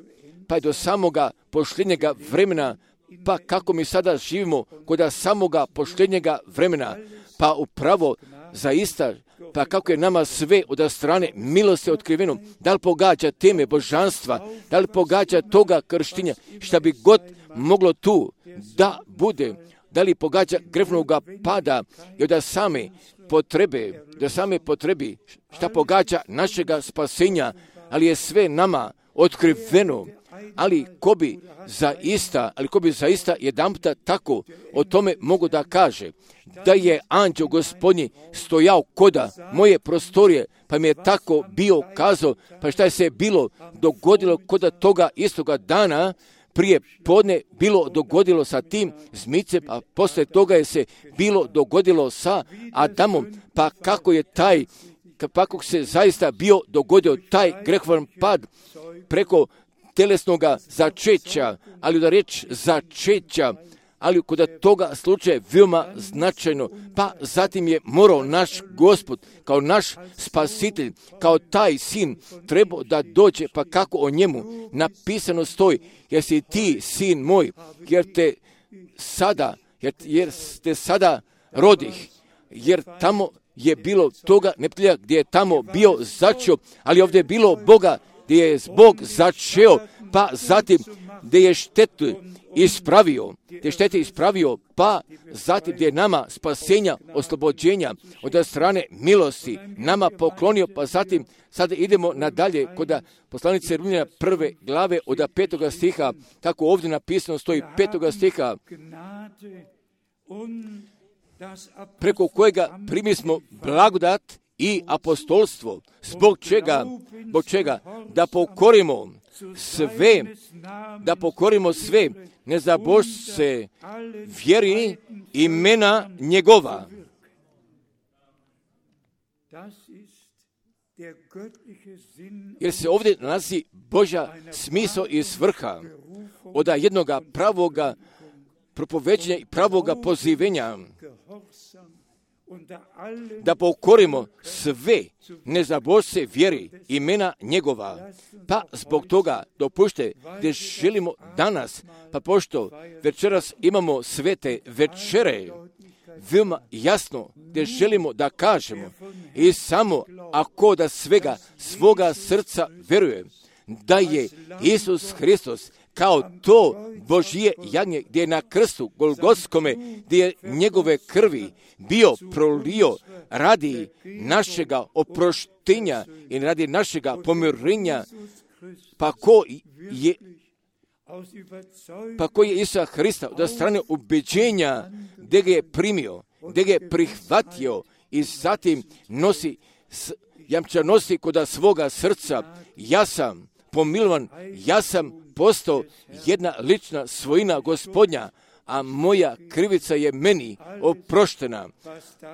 pa do samoga posljednjega vremena, pa kako mi sada živimo kod samoga posljednjega vremena, pa upravo zaista, pa kako je nama sve od strane milosti otkriveno, da li pogađa teme božanstva, da li pogađa toga krštenja, šta bi god moglo tu da bude, da li pogađa grehovnog pada i od same potrebe, da same potrebi, šta pogađa našega spasenja, ali je sve nama otkriveno. Ali ko bi zaista, ali ko bi zaista jedanputa tako o tome mogu da kaže, da je anđeo Gospodnji stojao koda moje prostorije, pa mi je tako bio kazao, pa šta je se bilo dogodilo koda toga istoga dana, prije podne bilo dogodilo sa tim zmicem, a posle toga je se bilo dogodilo sa Adamom, pa kako je taj, kako se zaista bio dogodio taj grehovan pad preko telesnoga začeća, ali da reč začeća, ali kod toga slučaja veoma značajno, pa zatim je morao naš Gospod, kao naš spasitelj, kao taj sin, trebao da dođe, pa kako o njemu napisano stoji, jer si ti sin moj, jer te sada, jer, jer te sada rodih, jer tamo je bilo toga neprijatelja gdje je tamo bio začeo, ali ovdje je bilo Boga gdje je Bog začeo, pa zatim gdje je štetu ispravio, gdje je štete ispravio, pa zatim gdje je nama spasenja, oslobođenja od strane milosti nama poklonio, pa zatim sada idemo nadalje kod poslanice Rimljana prve glave od petoga stiha, kako ovdje napisano stoji petoga stiha, preko kojega primismo blagodat i apostolstvo, zbog čega, zbog čega da pokorimo sve, da pokorimo sve nezabožce vjeri imena njegova. Jer se ovdje nalazi Božja smisao i svrha od jednoga pravoga propoveđenja i pravoga pozivenja, da pokorimo sve nezabožce vjeri imena njegova. Pa zbog toga dopušte gdje želimo danas, pa pošto večeras imamo svete večere, veoma jasno gdje želimo da kažemo i samo ako da svega svoga srca veruje da je Isus Hristos kao to Božije jagnje gdje je na krstu Golgotskome, gdje je njegove krvi bio prolio radi našega oproštenja i radi našega pomirenja, pa ko je pa ko je Isusa Hrista od strane ubeđenja gdje ga je primio, gdje ga je prihvatio i zatim nosi, jamča nosi kod svoga srca, ja sam pomilovan, ja sam postao jedna lična svojina Gospodnja, a moja krivica je meni oproštena.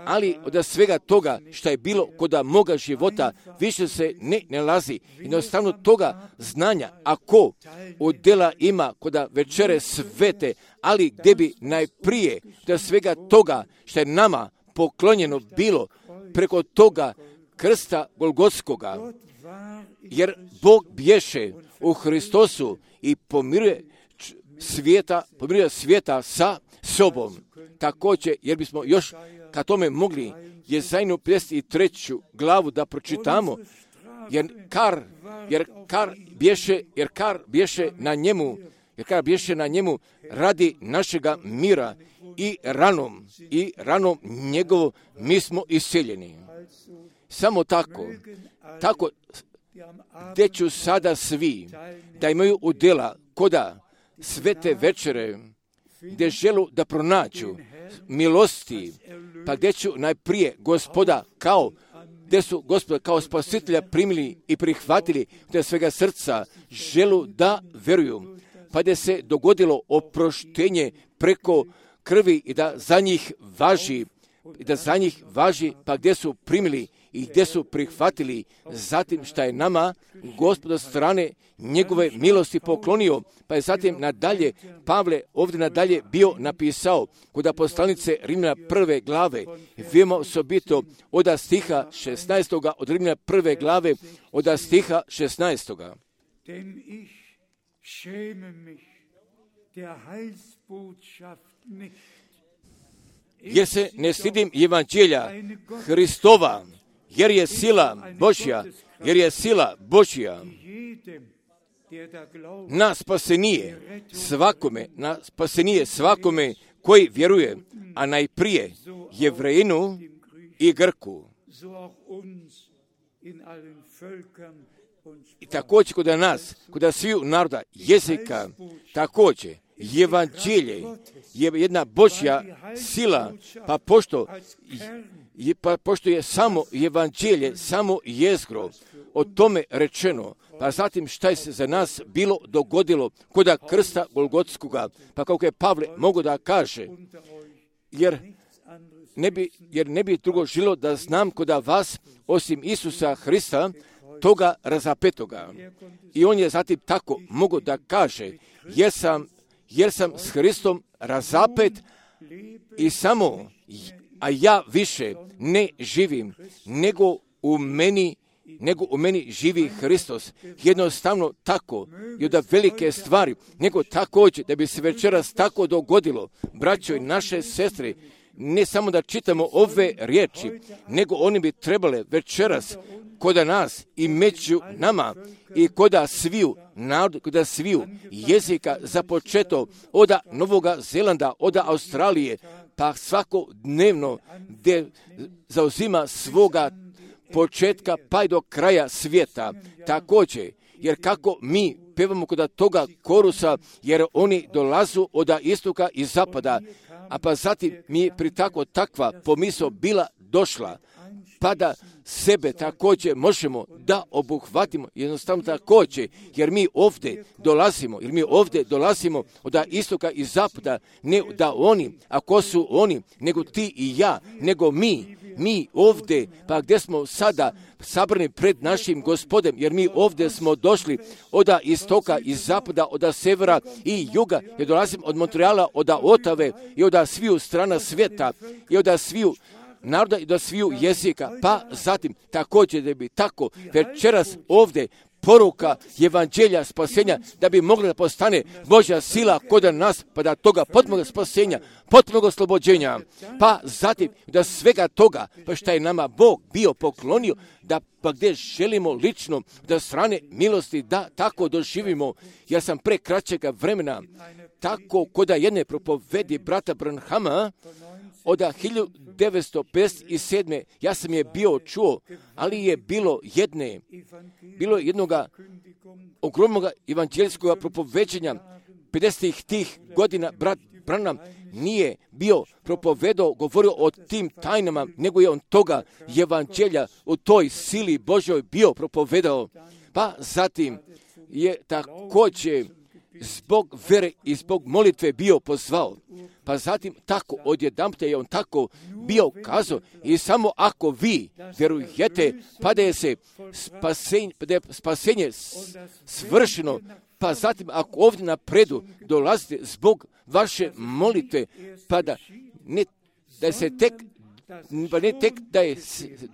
Ali od svega toga što je bilo kod moga života više se ne nalazi. Jednostavno toga znanja, ako od dela ima kod večere svete, ali gdje bi najprije da svega toga što je nama poklonjeno bilo preko toga krsta Golgotskoga, jer Bog bješe u Hristosu i pomiruje svijeta, pomiruje svijeta sa sobom. Također, jer bismo još ka tome mogli Jezajnu pedeset treću glavu da pročitamo, jer kar, jer kar bješe, jer kar bješe na njemu, jer kar bješe na njemu radi našega mira i ranom, i ranom njegovo mi smo iseljeni. Samo tako, tako gdje ću sada svi da imaju udjela koda svete večere, gdje želu da pronađu milosti, pa gdje ću najprije Gospoda kao, gdje su Gospoda kao spasitelja primili i prihvatili gdje svega srca želu da veruju, pa gdje se dogodilo oproštenje preko krvi i da za njih važi, i da za njih važi, pa gdje su primili i gdje su prihvatili zatim šta je nama Gospod od strane njegove milosti poklonio, pa je zatim nadalje Pavle ovdje nadalje bio napisao kod poslanice Rimljana prve glave, veoma osobito od stiha šesnaestoga, od Rimljana prve glave, od stiha šesnaestoga. Denn ich schäme mich der Heilsbotschaft nicht. Jer se ne stidim evanđelja Hristova, jer je sila Božja, jer je sila Božja na spasenije svakome, na spasenije svakome koji vjeruje, a najprije Jevrejinu i Grku. I također kod nas, kod sviju naroda, jezika, također evanđelje je jedna Božja sila, pa pošto, pa pošto je samo evanđelje, samo jezgro o tome rečeno, pa zatim šta je se za nas bilo dogodilo kod krsta Golgotskoga, pa kako je Pavle mogo da kaže, jer ne bi, jer ne bi drugo žilo da znam kod vas osim Isusa Hrista, toga razapetoga. I on je zatim tako mogo da kaže, jer sam jer sam s Hristom razapet i samo, a ja više ne živim, nego u meni, nego u meni živi Hristos. Jednostavno tako i od velike stvari, nego također da bi se večeras tako dogodilo, braćo i naše sestre, ne samo da čitamo ove riječi, nego oni bi trebale večeras koda nas i među nama i koda sviju narod, koda sviju jezika započeto od Novoga Zelanda, od Australije, pa svakodnevno gdje zauzima svoga početka pa i do kraja svijeta. Također, jer kako mi pevamo kod toga korusa, jer oni dolazu od istoka i zapada, a pa zatim mi je pri tako takva pomisao bila došla, pa da sebe također možemo da obuhvatimo, jednostavno također, jer mi ovdje dolazimo, jer mi ovdje dolazimo od istoka i zapada, ne da oni, a ko su oni, nego ti i ja, nego mi, mi ovdje, pa gdje smo sada sabrani pred našim Gospodem, jer mi ovdje smo došli od istoka i zapada, od severa i juga, jer dolazimo od Montreala, od Otave i od sviju strana svijeta i od sviju naroda i do sviju jezika, pa zatim također da bi tako večeras ovdje poruka evanđelja spasenja, da bi mogla da postane Božja sila kod nas, pa da toga potpunog spasenja, potpunog oslobođenja, pa zatim da svega toga, pa što je nama Bog bio poklonio, da pa gdje želimo lično da strane milosti da tako doživimo. Ja sam pre kraćega vremena tako kod jedne propovedi brata Branhama od hiljadu devetsto pedeset sedme. ja sam je bio čuo, ali je bilo jedne, bilo jednoga ogromnog evanđelijskog propoveđenja pedesetih tih godina. Brat Branham nije bio propovedao, govorio o tim tajnama, nego je on toga evanđelja u toj sili Božoj bio propovedao. Pa zatim je također zbog vere i zbog molitve bio pozvao. Pa zatim tako odjedanput je on tako bio kazao i samo ako vi vjerujete pa da je se spasenje, da je spasenje svršeno, pa zatim ako ovdje napredu dolazite zbog vaše molitve, pa da ne da se tek pa ne tek da je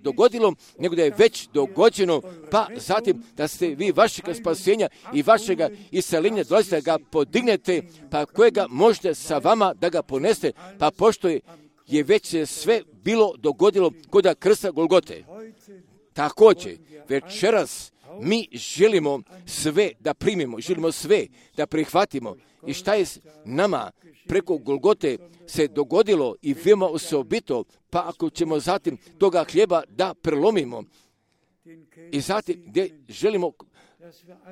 dogodilo, nego da je već dogođeno, pa zatim da ste vi vašega spasenja i vašega iseljenja dolazite da ga podignete, pa kojega možete sa vama da ga poneste, pa pošto je, je već sve bilo dogodilo kod krsta Golgote. Također, večeras mi želimo sve da primimo, želimo sve da prihvatimo. I šta je nama preko Golgote se dogodilo i veoma osobito, pa ako ćemo zatim toga hljeba da prelomimo i zatim gdje želimo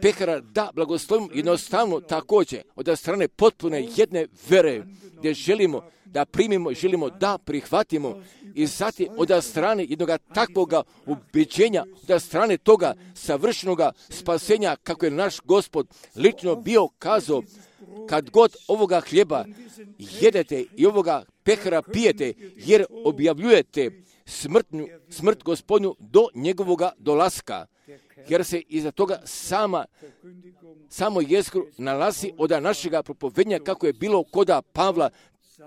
pekara da blagoslovimo jednostavno također od strane potpune jedne vere gdje želimo da primimo, želimo da prihvatimo i zatim od strane jednog takvoga ubeđenja, od strane toga savršenoga spasenja kako je naš Gospod lično bio kazao, kad god ovoga hljeba jedete i ovoga pekara pijete, jer objavljujete smrtnju, smrt Gospodnju do njegovoga dolaska, jer se iza toga sama, samo jezgru nalazi od našega propovednja kako je bilo koda Pavla,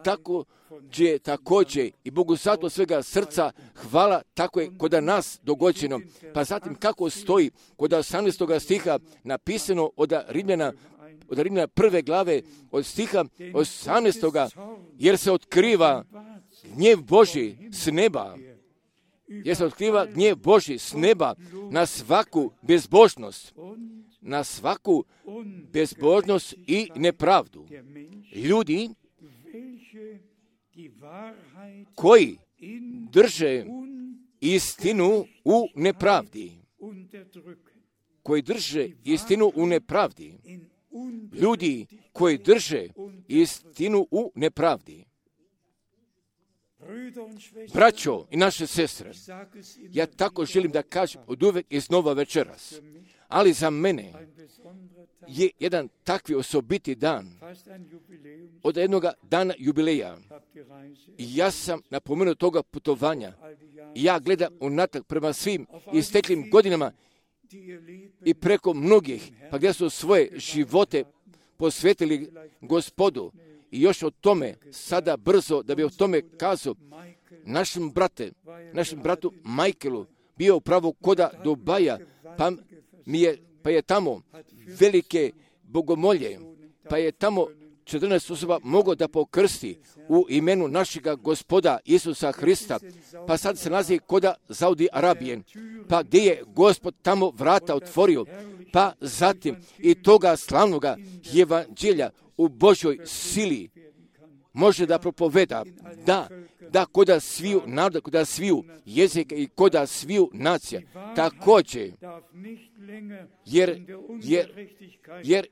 tako će također i Bogu zato svega srca hvala, tako je kod nas dogođeno. Pa zatim kako stoji kod osamnaestog stiha napisano od Rimljana, od Rimljana prve glave od stiha osamnaestog jer se otkriva gnjev Božji s neba, jer se otkriva gnjev Božji s neba na svaku bezbožnost, na svaku bezbožnost i nepravdu. Ljudi koji drže istinu u nepravdi, koji drže istinu u nepravdi, ljudi koji drže istinu u nepravdi. Braćo i naše sestre, ja tako želim da kažem od uvek iznova večeras, ali za mene je jedan takvi osobiti dan od jednog dana jubileja. I ja sam napomenuo toga putovanja i ja gledam unatrag prema svim isteklim godinama i preko mnogih, pa gdje su svoje živote posvetili Gospodu. I još o tome, sada brzo, da bi o tome kazao, našem brate, našem bratu Michaelu, bio upravo koda Dubaja, pa, mi je, pa je tamo velike bogomolje, pa je tamo četrnaest osoba mogao da pokrsti u imenu našega Gospoda Isusa Hrista, pa sad se nalazi koda Saudi Arabije, pa gdje je Gospod tamo vrata otvorio, pa zatim i toga slavnoga evanđelja u Božoj sili može da propoveda, da, da koda sviju naroda, koda sviju jezika i koda sviju nacija. Također, jer, jer, jer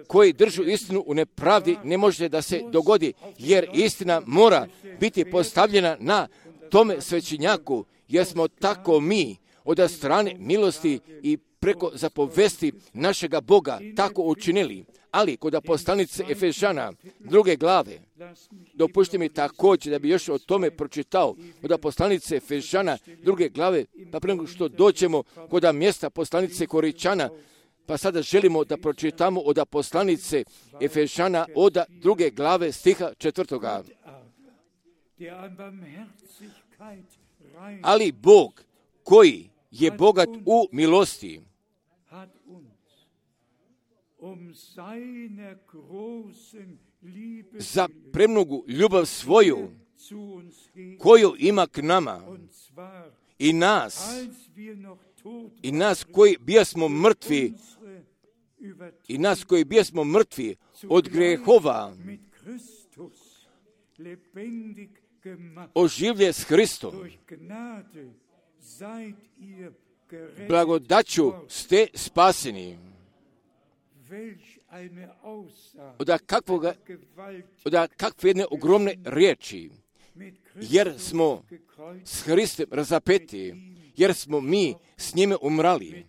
koji držu istinu u nepravdi ne može da se dogodi, jer istina mora biti postavljena na tome svećenjaku, jer smo tako mi od strane milosti i preko zapovesti našega Boga tako učinili. Ali kod poslanice Efežana druge glave, dopušte mi također da bi još o tome pročitao, kod poslanice Efežana druge glave, pa prije nego što dođemo kod mjesta poslanice Koričana, pa sada želimo da pročitamo od poslanice Efežana od druge glave stiha četvrtoga. Ali Bog koji je bogat u milosti, za premnogu ljubav svoju koju ima k nama i nas, i nas koji bijasmo mrtvi, i nas koji bijasmo mrtvi od grehova, oživlje s Hristom. Blagodaću ste spaseni. Od kakvoga, od kakve jedne ogromne riječi, jer smo s Hristom razapeti, jer smo mi s njime umrali,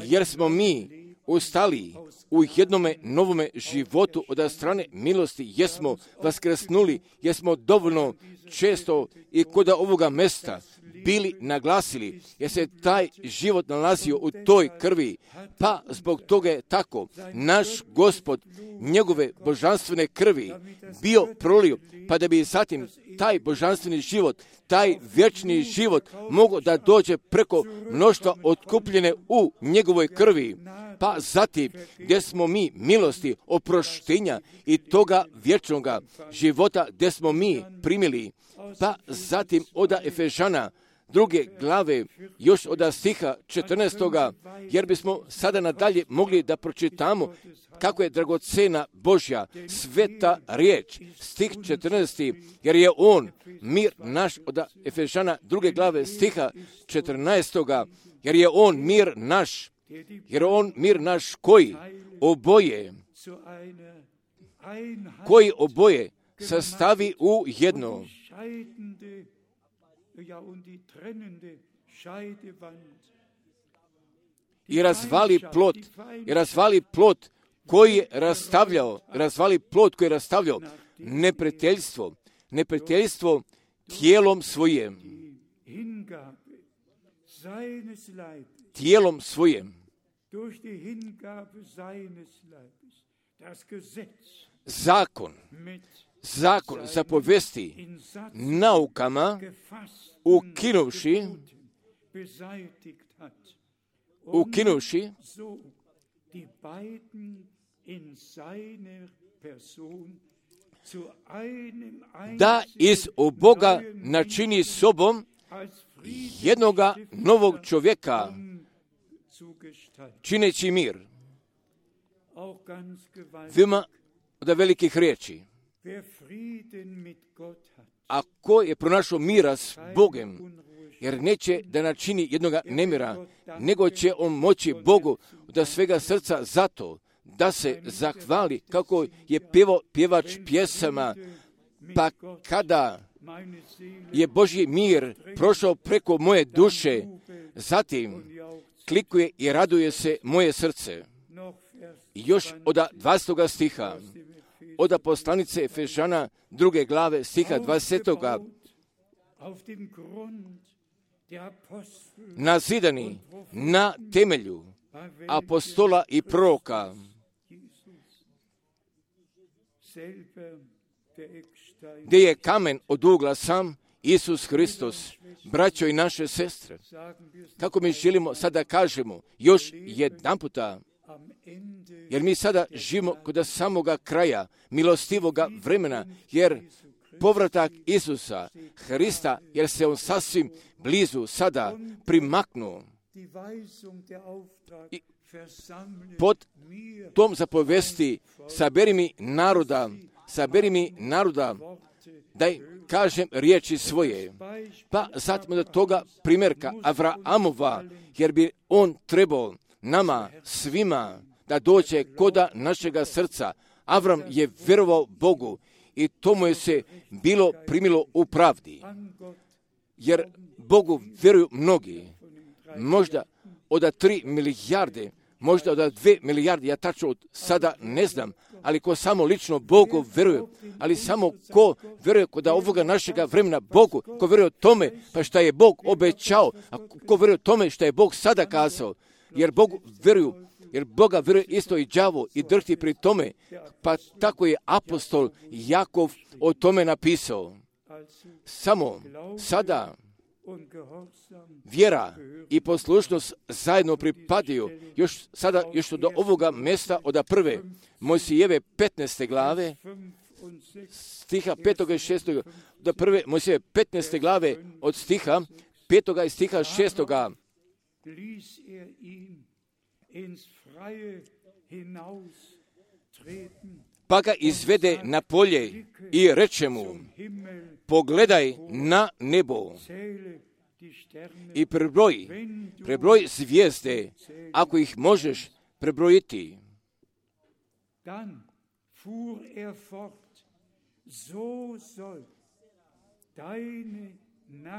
jer smo mi ustali u jednome novome životu od strane milosti, jesmo vaskrsnuli, jesmo dovoljno često i kod ovoga mesta bili naglasili, jer se taj život nalazio u toj krvi, pa zbog toga je tako naš Gospod njegove božanstvene krvi bio prolio, pa da bi zatim taj božanstveni život, taj vječni život mogao da dođe preko mnoštva otkupljene u njegovoj krvi, pa zatim gdje smo mi milosti, oproštenja i toga vječnoga života gdje smo mi primili, pa zatim od Efežana druge glave, još od stiha četrnaestoga, jer bismo sada nadalje mogli da pročitamo kako je dragocena Božja sveta riječ, stih četrnaesti, jer je on mir naš, od Efežana druge glave stiha četrnaestoga, jer je on mir naš, jer je on mir naš koji oboje, koji oboje sastavi u jedno, i razvali plot, i razvali plot koji je rastavljao, razvali plot koji je rastavljao neprijateljstvo, neprijateljstvo tijelom svojim, tijelom svojim, zakon, zakon zapovesti naukama ukinuvši, ukinuvši da iz u Boga načini sobom jednoga novog čovjeka, čineći mir. Veoma od velikih riječi. A ko je pronašao mira s Bogom, jer neće da načini jednoga nemira, nego će on moći Bogu da svega srca zato da se zahvali, kako je pjevao pjevač pjesama, pa kada je Božji mir prošao preko moje duše, zatim klikuje i raduje se moje srce. I još od dvastog stiha, od poslanice Efežana druge glave stiha dvadesetoga, nazidani na temelju apostola i proroka, gdje je kamen od ugla sam Isus Hristos, braćo i naše sestre. Kako mi želimo sada kažemo još jedan puta, jer mi sada živimo kod samoga kraja milostivoga vremena, jer povratak Isusa Hrista, jer se on sasvim blizu sada primaknuo. I pod tom zapovesti saberi mi naroda, saberi mi naroda, da kažem riječi svoje. Pa zatim od toga primjerka Avraamova, jer bi on trebao nama svima da dođe koda našega srca. Avram je vjerovao Bogu i to mu je se bilo primilo u pravdi. Jer Bogu vjeruju mnogi, možda od tri milijarde, možda od dve milijarde, ja tačno sada ne znam, ali ko samo lično Bogu vjeruje, ali samo ko vjeruje kod ovoga našega vremena Bogu, ko vjeruje tome pa šta je Bog obećao, a ko vjeruje tome šta je Bog sada kazao, jer Bogu vjeruju, jer Boga vjeruje isto i đavo i drhti pri tome, pa tako je apostol Jakov o tome napisao. Samo sada vjera i poslušnost zajedno pripadaju, još sada, još do ovoga mjesta od prve Mojsijeve petnaeste glave, stiha petoga i šestoga, do prve Mojsijeve petnaeste glave od stiha petoga i stiha šestoga. Pa ga izvede na polje i reče mu, pogledaj na nebo i prebroj, prebroj zvijezde, ako ih možeš prebrojiti.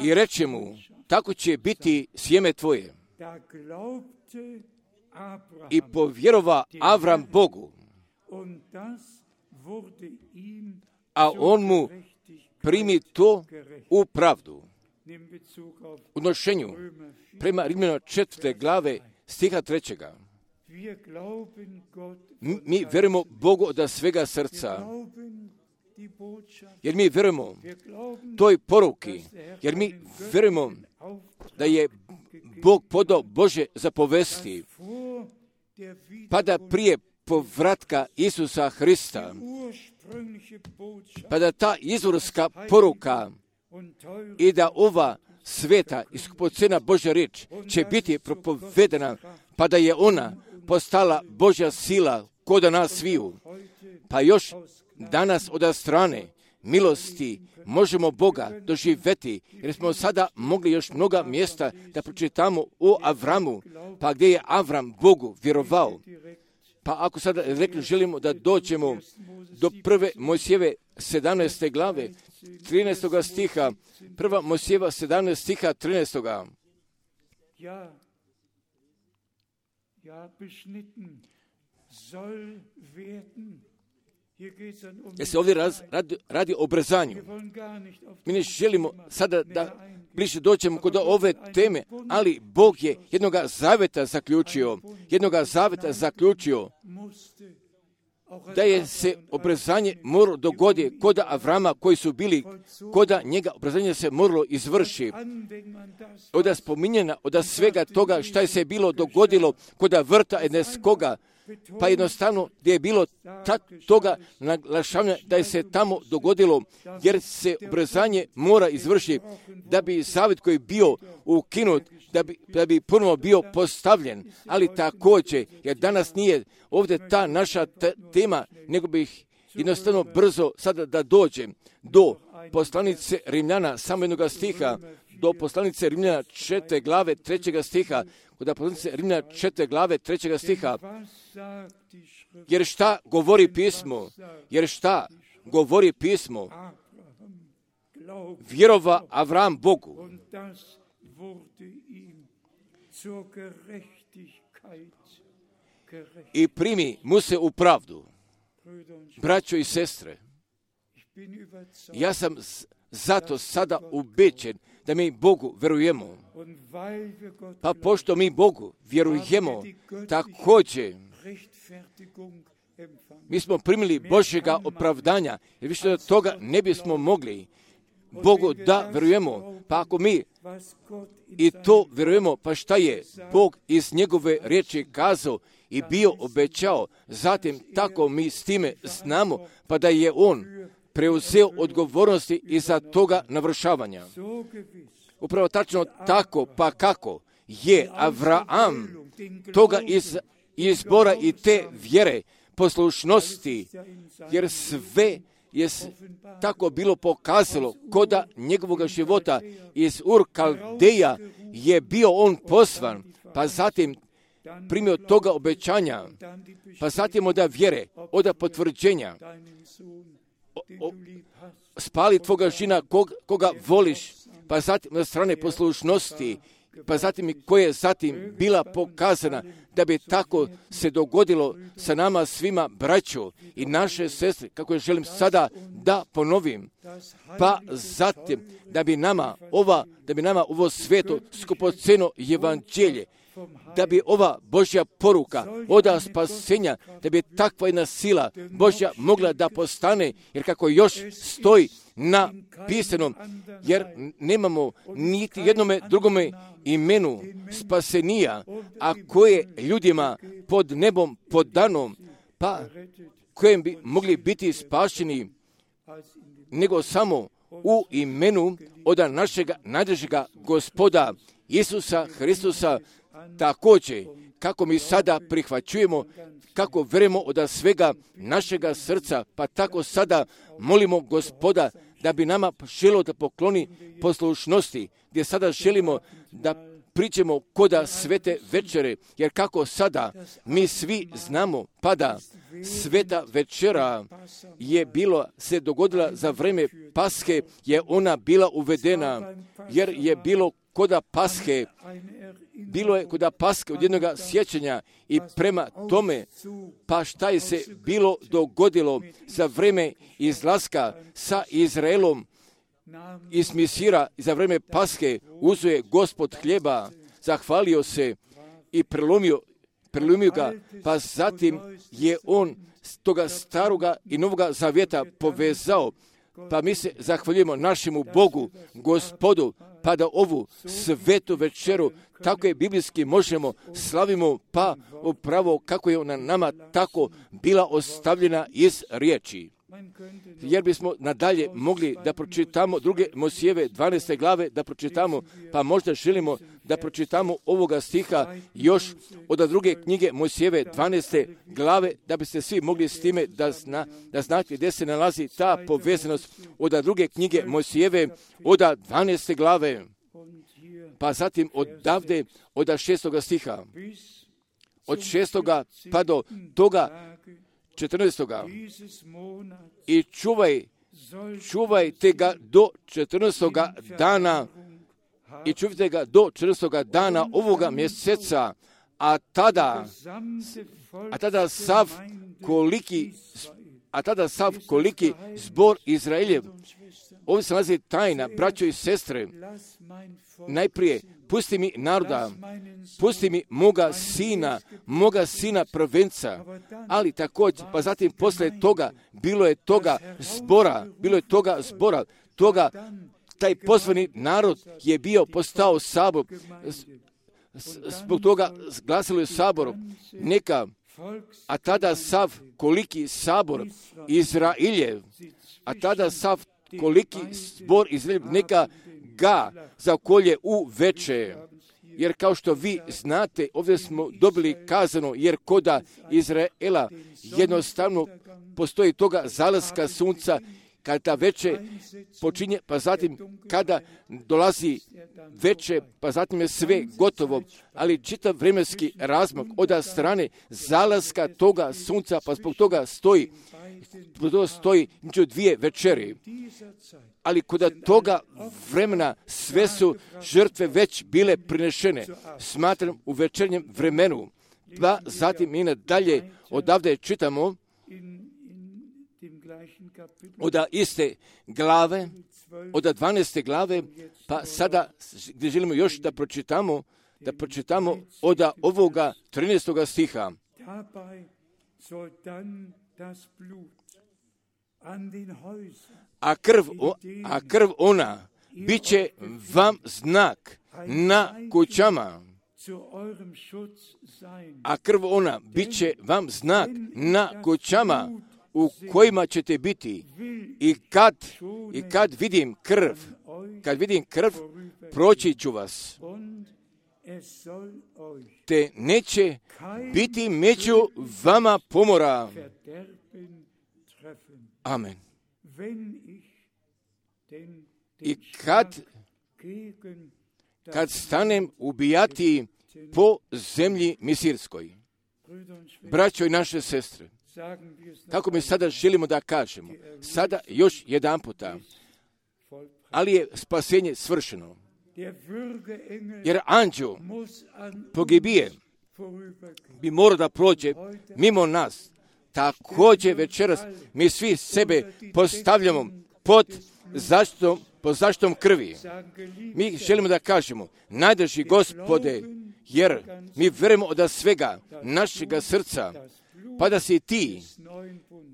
I reče mu, tako će biti sjeme tvoje. i povjerova Avram Bogu, a on mu primi to u pravdu. U odnošenju prema Rimljana četvrte glave stiha trećega. Mi vjerujemo Bogu od svega srca, jer mi vjerujemo toj poruki, jer mi vjerujemo da je Bog podao Bože zapovesti, pa da prije povratka Isusa Hrista, pa da ta izvorska poruka i da ova sveta i skupocena Božja riječ će biti propovedena, pa da je ona postala Božja sila koda nas sviju. Pa još danas od strane milosti možemo Boga doživjeti, jer smo sada mogli još mnoga mjesta da pročitamo o Avramu, pa gdje je Avram Bogu vjerovao. Pa ako sada rekli želimo da dođemo do prve Mojsijeve sedamnaeste glave, trinaestog stiha, prva Mojsijeva sedamnaest stiha trinaestog. Ja, ja, beschnitten soll werden. Jer se ovdje raz, radi, radi o obrzanju. Mi ne želimo sada da bliže dođemo kod ove teme, ali Bog je jednoga zaveta zaključio, jednoga zaveta zaključio da je se obrzanje moralo dogoditi kod Avrama koji su bili, kod njega obrzanje se moralo izvrši. Od spominjena, od svega toga šta je se bilo dogodilo kod vrta Edenskoga, pa jednostavno gdje je bilo tak, toga naglašavanja da je se tamo dogodilo, jer se obrzanje mora izvršiti da bi zavjet koji je bio ukinut, da bi, da bi ponovno bio postavljen. Ali također, jer danas nije ovdje ta naša t- tema, nego bih jednostavno brzo sada da dođem do poslanice Rimljana, samo jednoga stiha, do poslanice Rimljana četvrte glave trećega stiha, kod poslanice Rimljana četvrte glave trećega stiha. Jer šta govori pismo? Jer šta govori pismo? Vjerova Avram Bogu. I primi mu se u pravdu. Braćo i sestre, ja sam zato sada ubeđen da mi Bogu vjerujemo. Pa pošto mi Bogu vjerujemo, također mi smo primili Božjega opravdanja, jer više od toga ne bismo mogli. Bogu da vjerujemo, pa ako mi i to vjerujemo, pa šta je Bog iz njegove riječi kazao i bio obećao, zatim tako mi s time znamo, pa da je on preuzeo odgovornosti iza toga navršavanja. Upravo tačno tako, pa kako je Avraam toga iz izbora i te vjere, poslušnosti, jer sve je tako bilo pokazalo koda njegovog života iz Ur Kaldeja je bio on poslan, pa zatim primio toga obećanja, pa zatim od vjere, od potvrđenja, o, o, spali tvoga žina kog, koga voliš, pa zatim na strane poslušnosti, pa zatim i koja je zatim bila pokazana da bi tako se dogodilo sa nama svima braćo i naše sestre, kako je želim sada da ponovim, pa zatim da bi nama ova, da bi nama ovo sveto skupoceno evanđelje, da bi ova Božja poruka oda spasenja, da bi takva jedna sila Božja mogla da postane, jer kako još stoji na pisanom, jer nemamo niti jednome drugome imenu spasenija, a koje ljudima pod nebom podanom, pa kojem bi mogli biti spašeni, nego samo u imenu od našega najdražega Gospoda Isusa Hristusa. Također, kako mi sada prihvaćujemo, kako vjerujemo od svega našega srca, pa tako sada molimo Gospoda da bi nama želio da pokloni poslušnosti, gdje sada želimo da priđemo koda svete večere, jer kako sada mi svi znamo, pada sveta večera je bilo, se dogodila za vrijeme Paske, je ona bila uvedena, jer je bilo koda Paske bilo je kod Paske od jednoga sjećanja i prema tome, pa šta je se bilo dogodilo za vreme izlaska sa Izraelom iz Misira, za vreme Paske uzeo Gospod hljeba, zahvalio se i prelomio, prelomio ga, pa zatim je on toga staroga i novoga zavjeta povezao. Pa mi se zahvaljujemo našemu Bogu, Gospodu, pa da ovu svetu večeru, tako je biblijski možemo, slavimo, pa upravo kako je ona nama tako bila ostavljena iz riječi. Jer bismo nadalje mogli da pročitamo druge Mojsijeve dvanaeste glave, da pročitamo, pa možda želimo da pročitamo ovoga stiha još od druge knjige Mojsijeve dvanaeste glave, da biste svi mogli s time da, zna, da znate gdje se nalazi ta povezanost od druge knjige Mojsijeve od dvanaeste glave, pa zatim odavde od šestoga stiha, od šestoga pa do toga četrnaestoga i čuvaj, čuvajte ga do četrnaestoga dana i čuvajte ga do četrnaestoga dana ovoga mjeseca, a tada, a tada sav koliki, a tada sav koliki zbor Izraeljev. Ovdje se nalazi tajna, braćo i sestre. Najprije, pusti mi naroda, pusti mi moga sina, moga sina prvenca, ali također, pa zatim posle toga, bilo je toga zbora, bilo je toga zbora, toga, taj pozvani narod je bio postao sabor, zbog toga glasilo je saboru, neka, a tada sav koliki sabor Izraeljev, a tada sav koliki zbor Izraeljev, neka ga zakolje u veče. Jer kao što vi znate, ovdje smo dobili kazano, jer koda Izraela jednostavno postoji toga zalaska sunca, kada veče počinje, pa zatim kada dolazi veče, pa zatim je sve gotovo, ali čitav vremenski razmak od strane zalaska toga sunca, pa zbog toga stoji, zbog toga stoji među dvije večeri. Ali kod toga vremena sve su žrtve već bile prinešene, smatram u večernjem vremenu. Pa zatim mi nadalje odavde čitamo od iste glave, od dvanaeste glave, pa sada gdje želimo još da pročitamo, da pročitamo od ovoga trinaestoga stiha. A krv, a krv ona bit će vam znak na kućama. A krv ona bit će vam znak na kućama u kojima ćete biti. I kad, i kad vidim krv, kad vidim krv, proći ću vas. Te neće biti među vama pomora. Amen. I kad, kad stanem ubijati po zemlji misirskoj, braćo i naše sestre, kako mi sada želimo da kažemo, sada još jedan puta, ali je spasenje svršeno. Jer anđeo pogibije bi morao da prođe mimo nas. Također večeras mi svi sebe postavljamo pod zaštitom, pod zaštitom krvi. Mi želimo da kažemo, najdrži Gospode, jer mi verujemo od svega našega srca, pa da si ti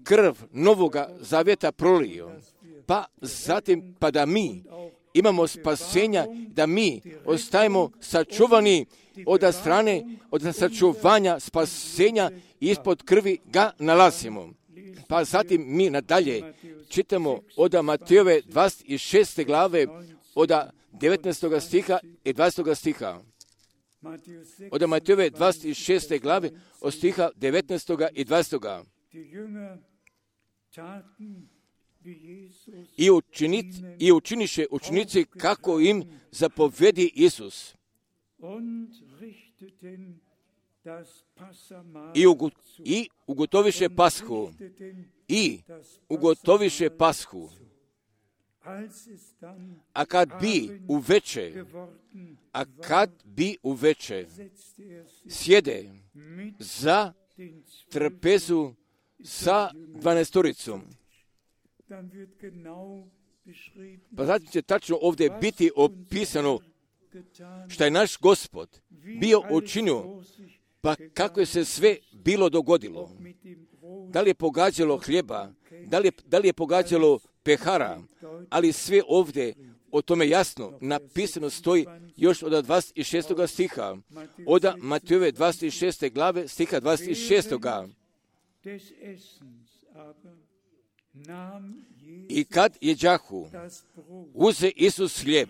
krv novoga zavjeta prolio, pa zatim pa da mi imamo spasenja, da mi ostajemo sačuvani od strane, od sačuvanja spasenja ispod krvi ga nalazimo. Pa zatim mi nadalje čitamo od Matejove dvadeset šeste glave, od devetnaestog stiha i dvadesetog stiha. Od Matejove dvadeset šeste glave, od stiha devetnaestog i dvadesetog. I, učinit, I učiniše učenici kako im zapovedi Isus. I, ugo, I ugotoviše pashu. I ugotoviše pashu. A kad bi uveče, A kad bi uveče sjede za trpezu sa dvanaestoricom, pa zatim će tačno ovdje biti opisano šta je naš Gospod bio učinio, pa kako je se sve bilo dogodilo. Da li je pogađalo hljeba, da li je, da li je pogađalo pehara, ali sve ovdje o tome jasno napisano stoji još od dvadeset šestog stiha, od Matejove dvadeset šeste glave, stiha dvadeset šestog. I kad jeđahu, uze Isus hljeb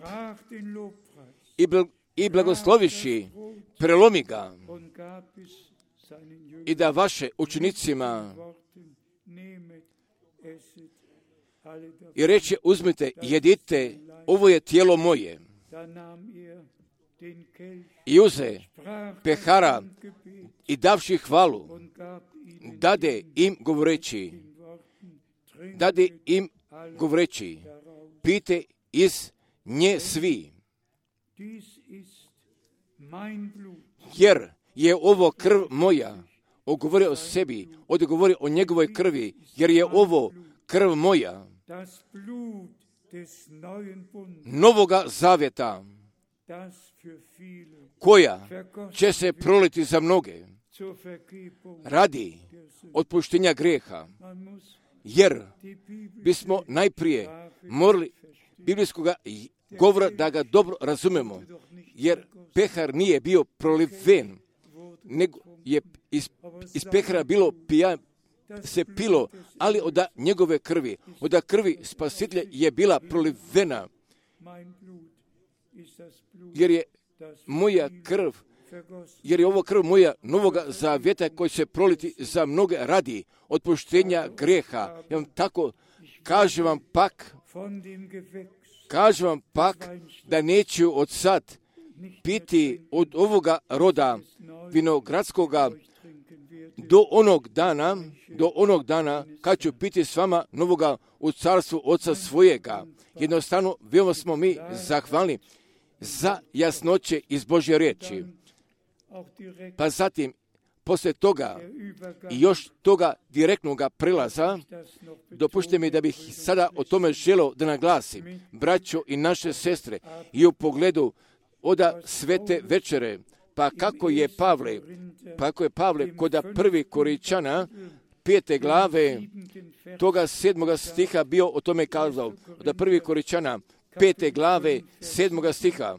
i, bl- i blagosloviši, prelomi ga i da vaše učenicima i reče, uzmite, jedite, ovo je tijelo moje. I uze pehara i davši hvalu, dade im govoreći, dade im govoreći, pijte iz nje svi, jer je ovo krv moja. Ogovori o sebi, odgovori o njegovoj krvi, jer je ovo krv moja, novoga zavjeta, koja će se proliti za mnoge radi otpuštenja grijeha, jer bismo najprije morali biblijskog govora da ga dobro razumemo, jer pehar nije bio proliven, nego je iz, iz pehara bilo pija, se pilo, ali od njegove krvi, od krvi spasitelja je bila prolivena, jer je moja krv, jer je ovo krv moja novoga zavjeta koji će proliti za mnoge radi otpuštenja grijeha. Ja vam tako kažem vam pak, kažem vam pak da neću od sad piti od ovoga roda vinogradskoga do onog dana, do onog dana kad ću piti s vama novoga u carstvu Oca svojega. Jednostavno, veoma smo mi zahvalni za jasnoće iz Božje riječi. Pa zatim, poslije toga i još toga direktnog prelaza, dopušte mi da bih sada o tome želio da naglasim, braćo i naše sestre, i u pogledu oda svete večere, pa kako je Pavle, pa kako je Pavle kod prvi Korinčana, pete glave, toga sedmoga stiha bio o tome kazao, od prvi Korinčana, pete glave, sedmoga stiha.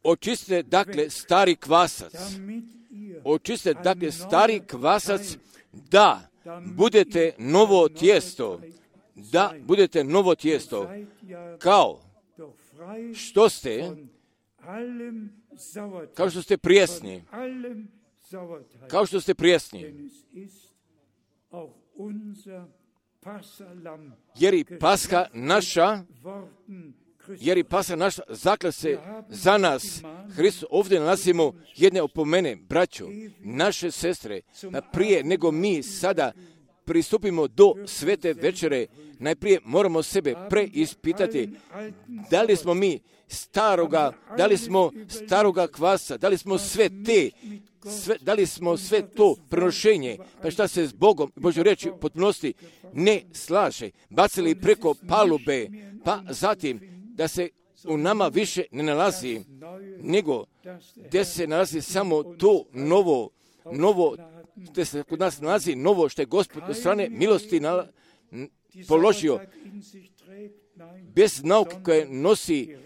Očistite, dakle, stari kvasac, očistite, dakle, stari kvasac, da budete novo tijesto, da budete novo tijesto, kao što ste, kao što ste prijesni, kao što ste prijesni, jer i Paska naša, jer i Paska naša zakla se za nas. Hristos, ovdje nalazimo jedne opomene, braćo, naše sestre, prije nego mi sada pristupimo do svete večere, najprije moramo sebe preispitati da li smo mi staroga, da li smo staroga kvasa, da li smo sve te, sve, da li smo sve to prenošenje, pa šta se s Bogom, Božjoj riječi potpunosti ne slaže, bacili preko palube, pa zatim da se u nama više ne nalazi, nego gdje se nalazi samo to novo, novo, gdje se kod nas nalazi novo što je Gospod od strane milosti nala, položio, bez nauke koje nosi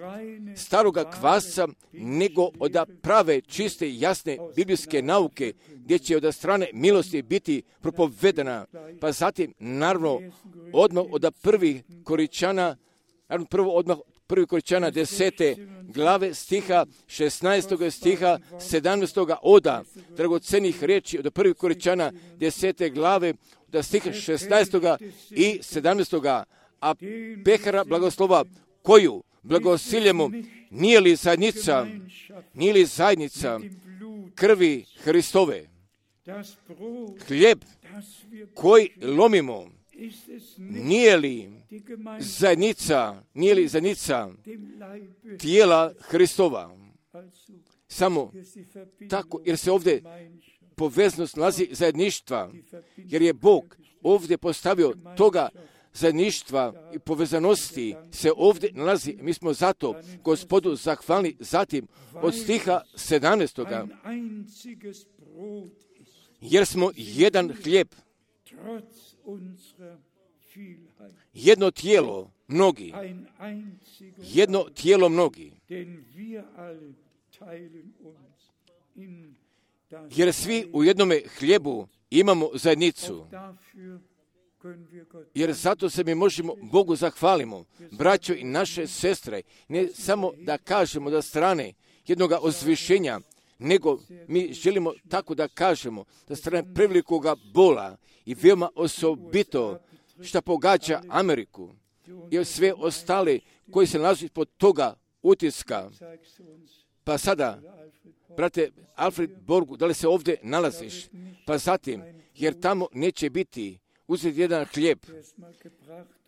staroga kvasca, nego od prave, čiste, jasne biblijske nauke, gdje će od strane milosti biti propovedena. Pa zatim, naravno, odmah od prvih Korinčana, naravno prvo odmah prvi Korinčana desete glave stiha, šesnaestog stiha, sedamnaestog oda, dragocenih riječi od prvih Korinčana desete glave, da stiha šesnaestog i sedamnaestog a pehara blagoslova koju blagosiljemo, nije li zajednica, nije li zajednica krvi Hristove, hljeb koji lomimo, nije li zajednica, nije li zajednica tijela Hristova? Samo tako, jer se ovdje poveznost nalazi zajedništva, jer je Bog ovdje postavio toga zajedništva i povezanosti se ovdje nalazi. Mi smo zato Gospodu zahvalni. Zatim od stiha sedamnaestoga jer smo jedan hljeb, jedno tijelo mnogi, jedno tijelo mnogi, jer svi u jednome hljebu imamo zajednicu. Jer zato se mi možemo Bogu zahvalimo, braćo i naše sestre, ne samo da kažemo da strane jednog ozvišenja, nego mi želimo tako da kažemo da strane prevelikoga bola i veoma osobito što pogađa Ameriku i sve ostale koji se nalazi pod toga utiska. Pa sada, brate Alfred Borgu, da li se ovdje nalaziš? Pa zatim, jer tamo neće biti uzeti jedan hljeb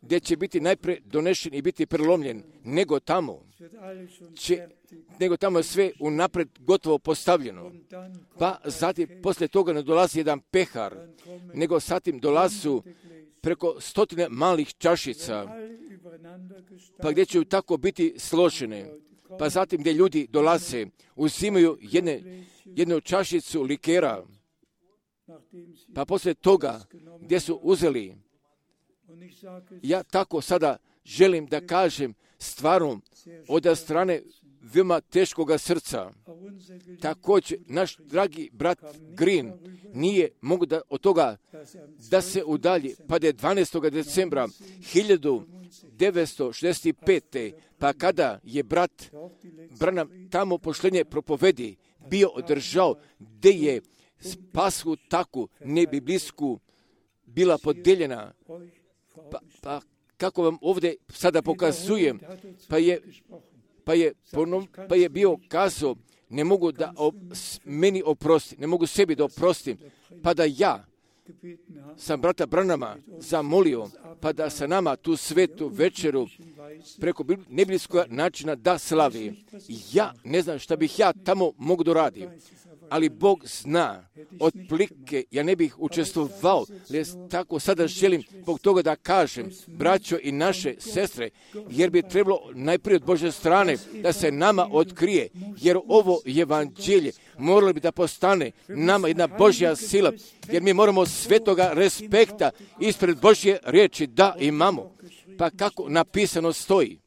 gdje će biti najprije donešen i biti prelomljen, nego tamo će, nego tamo je sve unaprijed gotovo postavljeno. Pa zatim poslije toga ne dolazi jedan pehar, nego zatim dolazu preko stotine malih čašica, pa gdje će tako biti složene. Pa zatim gdje ljudi dolaze, uzimaju jedne, jednu čašicu likera, pa poslije toga gdje su uzeli, ja tako sada želim da kažem stvarno od strane veoma teškoga srca. Također, naš dragi brat Green nije mogu da od toga da se udalji, pa da je dvanaestog decembra hiljadu devetsto šezdeset pete. pa kada je brat Branham tamo pošlenje propovedi bio održao, gdje je Pashu taku nebiblijsku bila podeljena, pa, pa kako vam ovdje sada pokazujem, pa je, pa je, ponov, pa je bio kazao, ne mogu da op, meni oprosti, ne mogu sebi da oprostim, pa da ja sam brata Branhama zamolio, pa da sa nama tu svetu večeru preko nebiblijskog načina da slavi. Ja ne znam šta bih ja tamo mogu doraditi, ali Bog zna, otplike ja ne bih učestvovao, jer tako sada želim zbog toga da kažem, braćo i naše sestre, jer bi trebalo najprije od Božje strane da se nama otkrije, jer ovo evanđelje moralo bi da postane nama jedna Božja sila, jer mi moramo svetoga respekta ispred Božje riječi da imamo. Pa kako napisano stoji,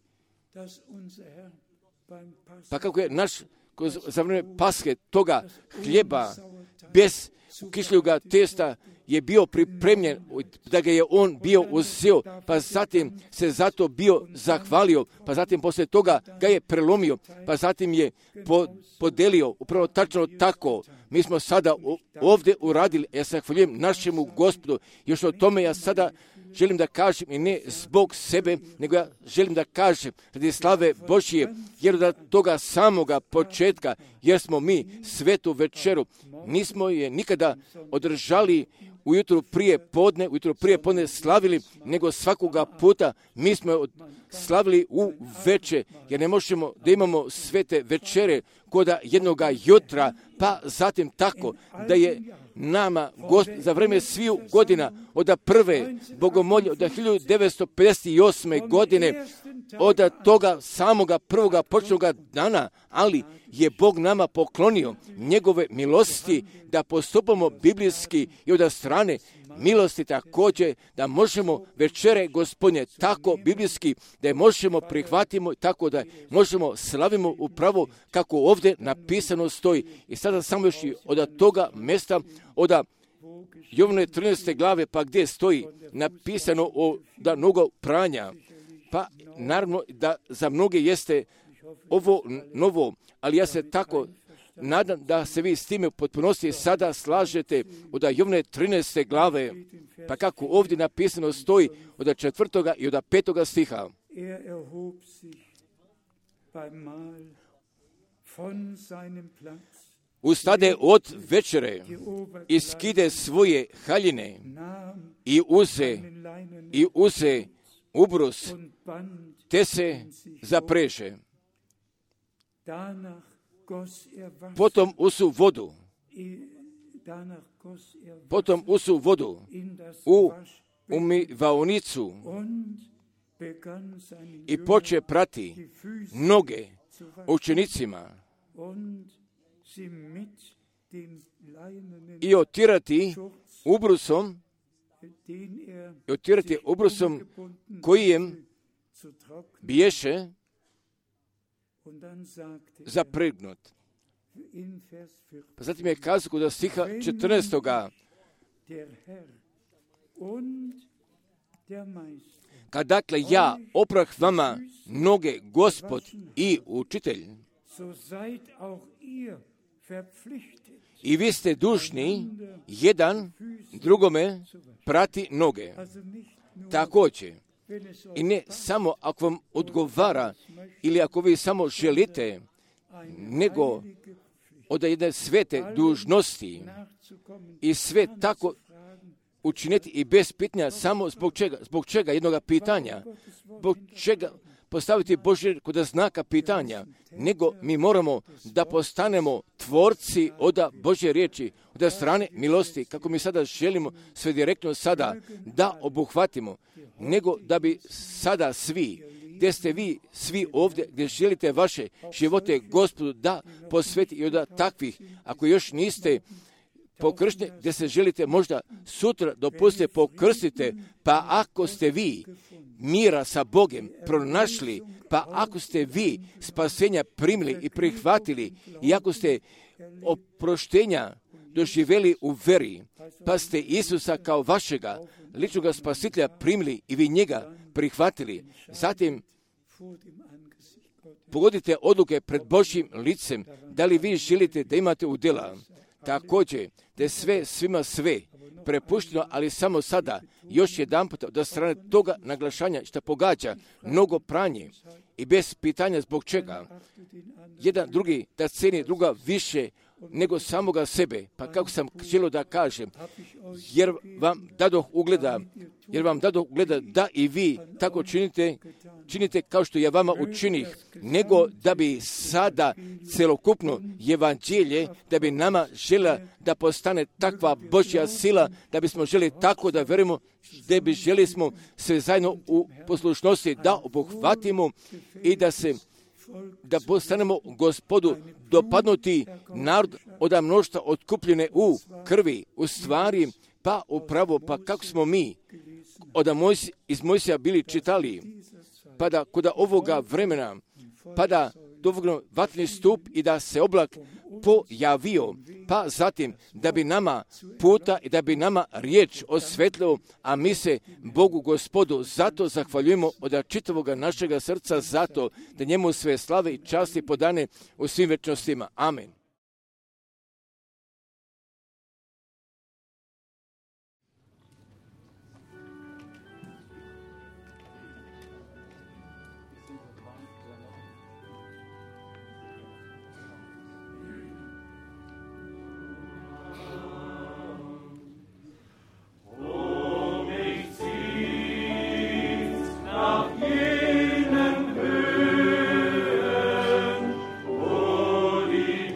pa kako je naš za vrijeme Paske toga hljeba bez kišljuga testa je bio pripremljen, da ga je on bio uzeo, pa zatim se zato bio zahvalio, pa zatim poslije toga ga je prelomio, pa zatim je po, podelio, upravo tačno tako. Mi smo sada ovdje uradili, ja se zahvaljujem našemu Gospodu, još o tome ja sada želim da kažem i ne zbog sebe, nego ja želim da kažem radi slave Božije, jer da toga samoga početka, jer smo mi svetu večeru, nismo je nikada održali ujutru prije podne, ujutru prije podne slavili, nego svakoga puta mi smo slavili u veče, jer ne možemo da imamo svete večere koda jednoga jutra, pa zatim tako da je nama Gospod za vreme sviju godina od prve bogomolje od hiljadu devetsto pedeset osme. godine, od toga samoga prvoga počnoga dana, ali je Bog nama poklonio njegove milosti da postupamo biblijski i od strane milosti također da možemo večere Gospodnje tako biblijski da je možemo prihvatimo tako da možemo slavimo upravo kako ovdje napisano stoji. I sada samo još od toga mjesta od Jovane trinaeste glave, pa gdje stoji napisano o da mnogo pranja, pa naravno da za mnoge jeste ovo novo, ali ja se tako nadam da se vi s time u potpunosti sada slažete od Jovane trinaeste glave, pa kako ovdje napisano stoji od četvrtoga i od petoga stiha. Ustade od večere i skide svoje haljine i uze, i uze ubrus, te se zapreže. Potom usu vodu, potom usu vodu u umivaonicu i poče prati noge učenicima i otirati ubrusom i otirati ubrusom kojem biješe zapregnut. Pa zatim je kazao do stiha četrnaestoga. Kad dakle ja oprah vama noge Gospod i učitelj, i vi ste dužni jedan drugome prati noge. Također, i ne samo ako vam odgovara ili ako vi samo želite, nego od jedne svete dužnosti i sve tako učiniti i bez pitanja samo zbog čega, zbog čega jednoga pitanja, zbog čega postaviti Božje kod znaka pitanja, nego mi moramo da postanemo tvorci od Božje riječi, od strane milosti, kako mi sada želimo sve direktno sada da obuhvatimo, nego da bi sada svi, gdje ste vi svi ovdje, gdje želite vaše živote Gospodu da posveti i od takvih, ako još niste pokršteni, gdje se želite možda sutra dopustite pokrstite, pa ako ste vi mira sa Bogom pronašli, pa ako ste vi spasenja primili i prihvatili i ako ste oproštenja doživjeli u veri, pa ste Isusa kao vašega ličnog spasitelja primili i vi njega prihvatili, zatim pogodite odluke pred Božjim licem, da li vi želite da imate udjela. Također, da je sve svima sve prepušteno, ali samo sada, još jedan put od strane toga naglašanja što pogađa mnogo pranje i bez pitanja zbog čega. Jedan drugi da ceni druga više nego samoga sebe. Pa kako sam želio da kažem, jer vam dadoh ugleda, jer vam dadoh ugleda da i vi tako činite, činite kao što ja vama učinih, nego da bi sada celokupno evanđelje, da bi nama žela da postane takva Božja sila, da bismo želi tako da verujemo, da bi želi smo sve zajedno u poslušnosti da obuhvatimo i da se da postanemo Gospodu dopadnuti narod od mnoštva otkupljene u krvi, u stvari, pa upravo, pa kako smo mi od Mojs, iz Mojsija bili čitali, pa da kod ovoga vremena, pa da dovoljno vatni stup i da se oblak pojavio, pa zatim da bi nama puta i da bi nama riječ osvetlio, a mi se Bogu Gospodu zato zahvaljujemo od čitavog našega srca, zato da njemu sve slave i časti podane u svim večnostima. Amen. Jenen Höhen, wo die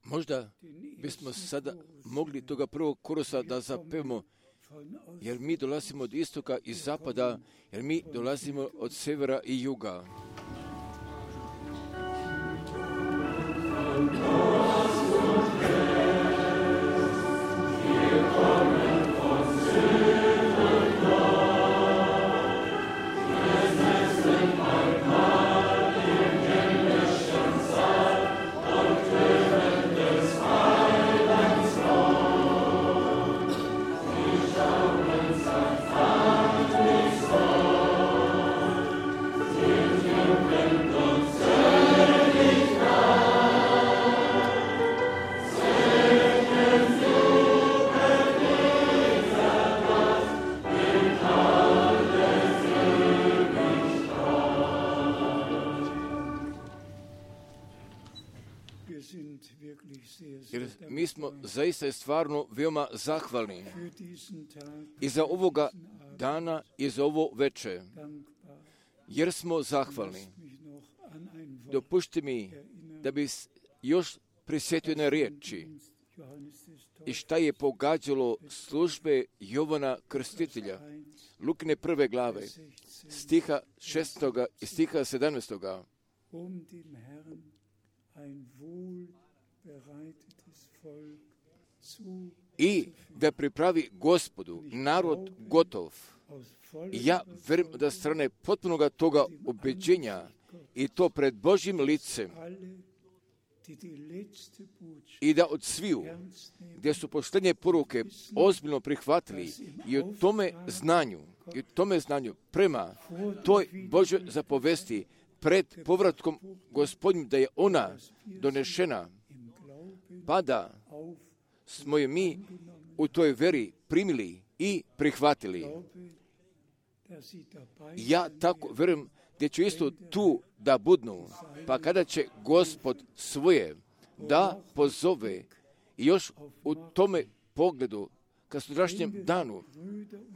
Možda bismo sada mogli toga prvog korusa da zapevamo, jer mi dolazimo od istoka i zapada, jer mi dolazimo od severa i juga. Jer mi smo zaista i stvarno veoma zahvalni i za ovoga dana i za ovo veče, jer smo zahvalni. Dopušti mi da bi još prisjetio na riječi i šta je pogađalo službe Jovana Krstitelja, Lukine prve glave, stiha šestoga i stiha sedamnaestoga. I da pripravi Gospodu narod gotov. I ja verujem da strane potpunoga toga ubeđenja i to pred Božjim licem i da od sviju gdje su posljednje poruke ozbiljno prihvatili i u tome znanju i u tome znanju prema toj Božjoj zapovesti pred povratkom Gospodnjim da je ona donešena, pa da smo je mi u toj veri primili i prihvatili. Ja tako verujem da će isto tu da budnu, pa kada će Gospod svoje da pozove i još u tome pogledu ka sutrašnjem danu,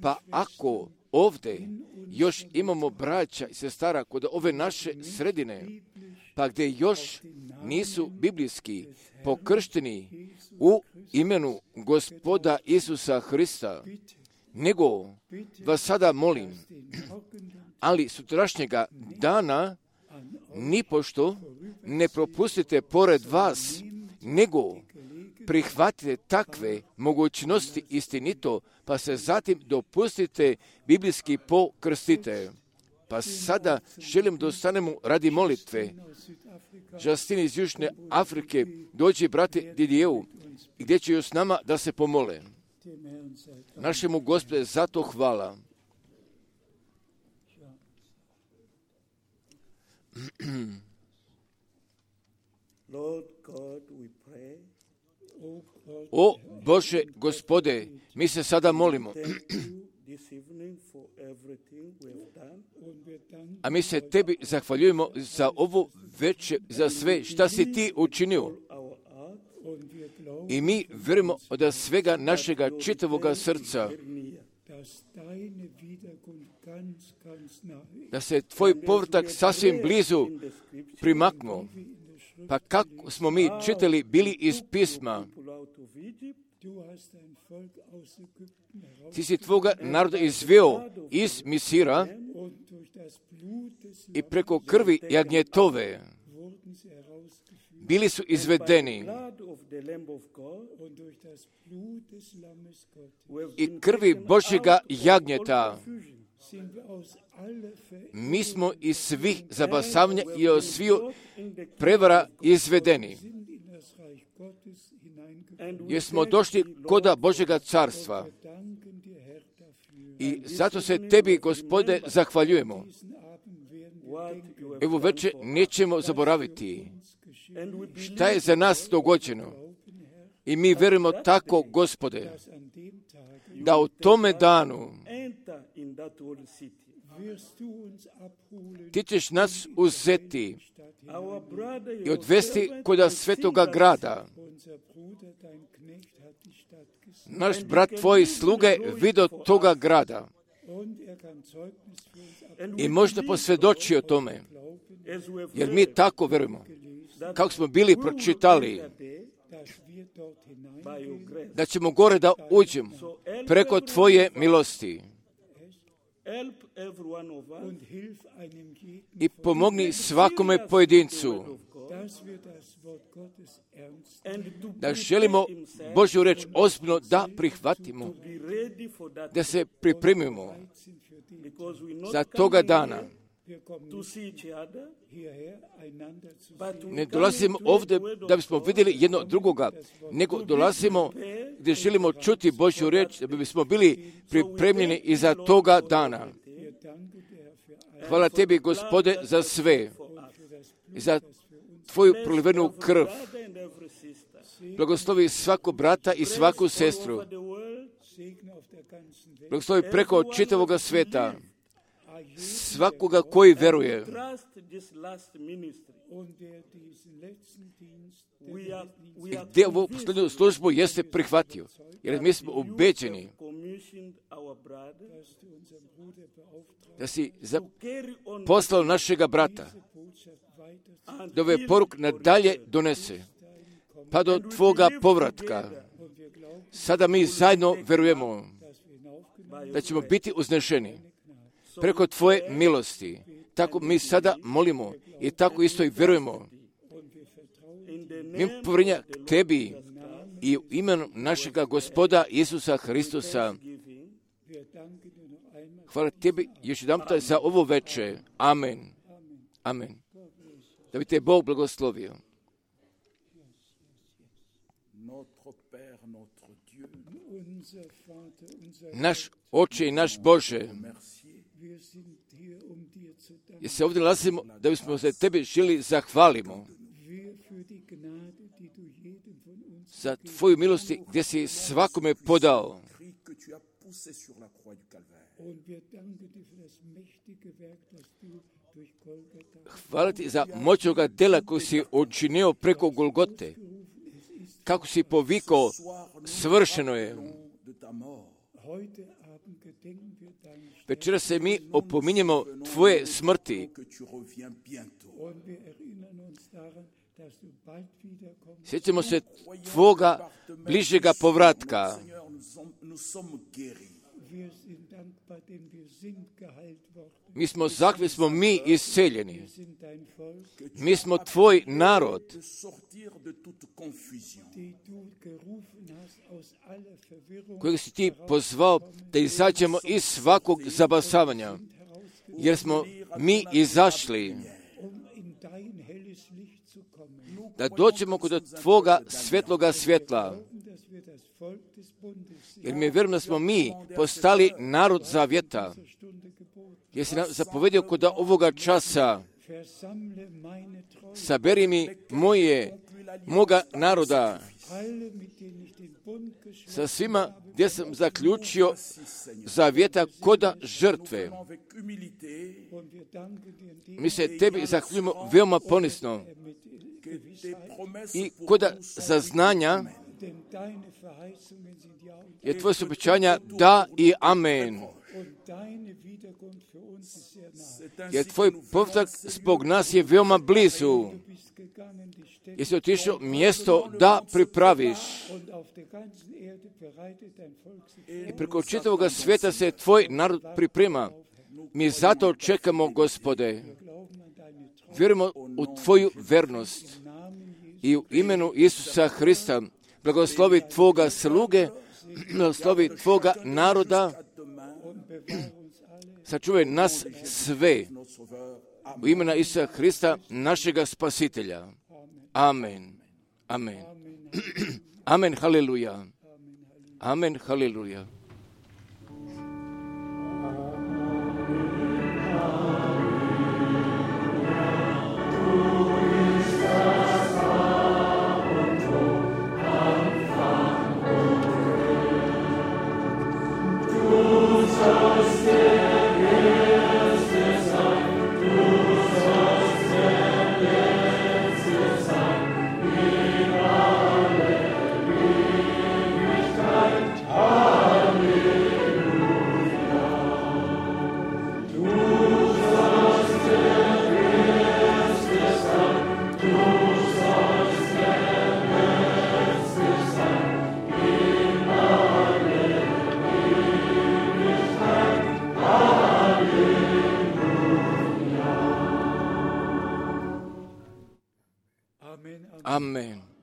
pa ako ovdje još imamo braća i sestara kod ove naše sredine, pa gdje još nisu biblijski pokršteni u imenu Gospoda Isusa Hrista, nego vas sada molim, ali sutrašnjega dana nipošto ne propustite pored vas, nego prihvatite takve mogućnosti istinito, pa se zatim dopustite biblijski pokrstite. Pa sada želim da ostanemo radi molitve. Justin iz Južne Afrike dođe brate Didijevu, gdje će još s nama da se pomole. Našemu Gospode zato hvala. O Bože Gospode, mi se sada molimo. A mi se tebi zahvaljujemo za ovo veče, za sve šta si ti učinio. I mi vjerujemo od svega našega čitavoga srca da se tvoj povratak sasvim blizu primaknuo. Pa kako smo mi čitali bili iz pisma, ti si tvoga naroda izveo iz Misira i preko krvi jagnjetove bili su izvedeni i krvi Božjega jagnjeta. Mi smo iz svih zabasavanja i od svih prevara izvedeni. Jer smo došli koda Božjega carstva. I zato se tebi, Gospode, zahvaljujemo. Evo večer nećemo zaboraviti šta je za nas dogođeno. I mi verujemo tako, Gospode, da u tome danu ti ćeš nas uzeti i odvesti kod svetoga grada. Naš brat tvoj sluge vidio toga grada i možda posvjedoči o tome, jer mi tako verujemo. kako smo bili pročitali, da ćemo gore da uđemo preko Tvoje milosti. I pomogni svakome pojedincu da želimo Božju reč ozbiljno da prihvatimo, da se pripremimo za toga dana. Ne dolazimo ovdje da bismo vidjeli jedno drugoga, nego dolazimo gdje želimo čuti Božju reč, da bismo bili pripremljeni i za toga dana. Hvala Tebi, Gospode, za sve i za Tvoju prolivenu krv. Blagoslovi svako brata i svaku sestru. Blagoslovi preko čitavoga sveta svakoga koji veruje. I gdje ovu posljednju službu jeste prihvatio. Jer mi smo ubeđeni da si poslao našega brata da ove poruk nadalje donese pa do Tvoga povratka. Sada mi zajedno verujemo da ćemo biti uznešeni preko Tvoje milosti. Tako mi sada molimo i tako isto i verujemo. Mi povjerenja k Tebi i u imenu našega Gospoda Isusa Hristusa. Hvala Tebi još jedanputa za ovo veče. Amen. Amen. Da bi te Bog blagoslovio. Naš Oče i naš Bože, jer se ovdje nalazimo da bismo se Tebi želi zahvalimo za Tvoju milosti gdje si svakome podao. Hvala Ti za moćnoga dela koji si učinio preko Golgote. Kako si povikao, svršeno je. Večera se mi opominjemo Tvoje smrti. Sjećamo se Tvoga bližega povratka. Mi smo zahvalni, smo mi isceljeni. Mi smo Tvoj narod. Kojeg si Ti pozvao da izađemo iz svakog zabasavanja. Jer smo mi izašli da dođemo kod Tvoga svetloga svjetla. Jer mi vjerujem da smo mi postali narod zavjeta. Jer si nam zapovedio kod ovoga časa, saberi mi moje, moga naroda, sa svima gdje sam zaključio zavjeta koda žrtve. Mi se Tebi zahvaljujemo veoma ponisno i koda saznanja, jer Tvoje su obećanja da i amen. Jer Tvoj povratak zbog nas je veoma blizu. Jesi otišao mjesto da pripraviš. I preko čitavoga svijeta se Tvoj narod priprema. Mi zato čekamo, Gospode. Vjerujemo u Tvoju vernost. I u imenu Isusa Hrista blagoslovi Tvoga sluge, blagoslovi Tvoga naroda, sačuvaj nas sve u imena Isusa Hrista, našega spasitelja. Amen. Amen. Amen. Haleluja. Amen. Haleluja. Hallelujah. Amen.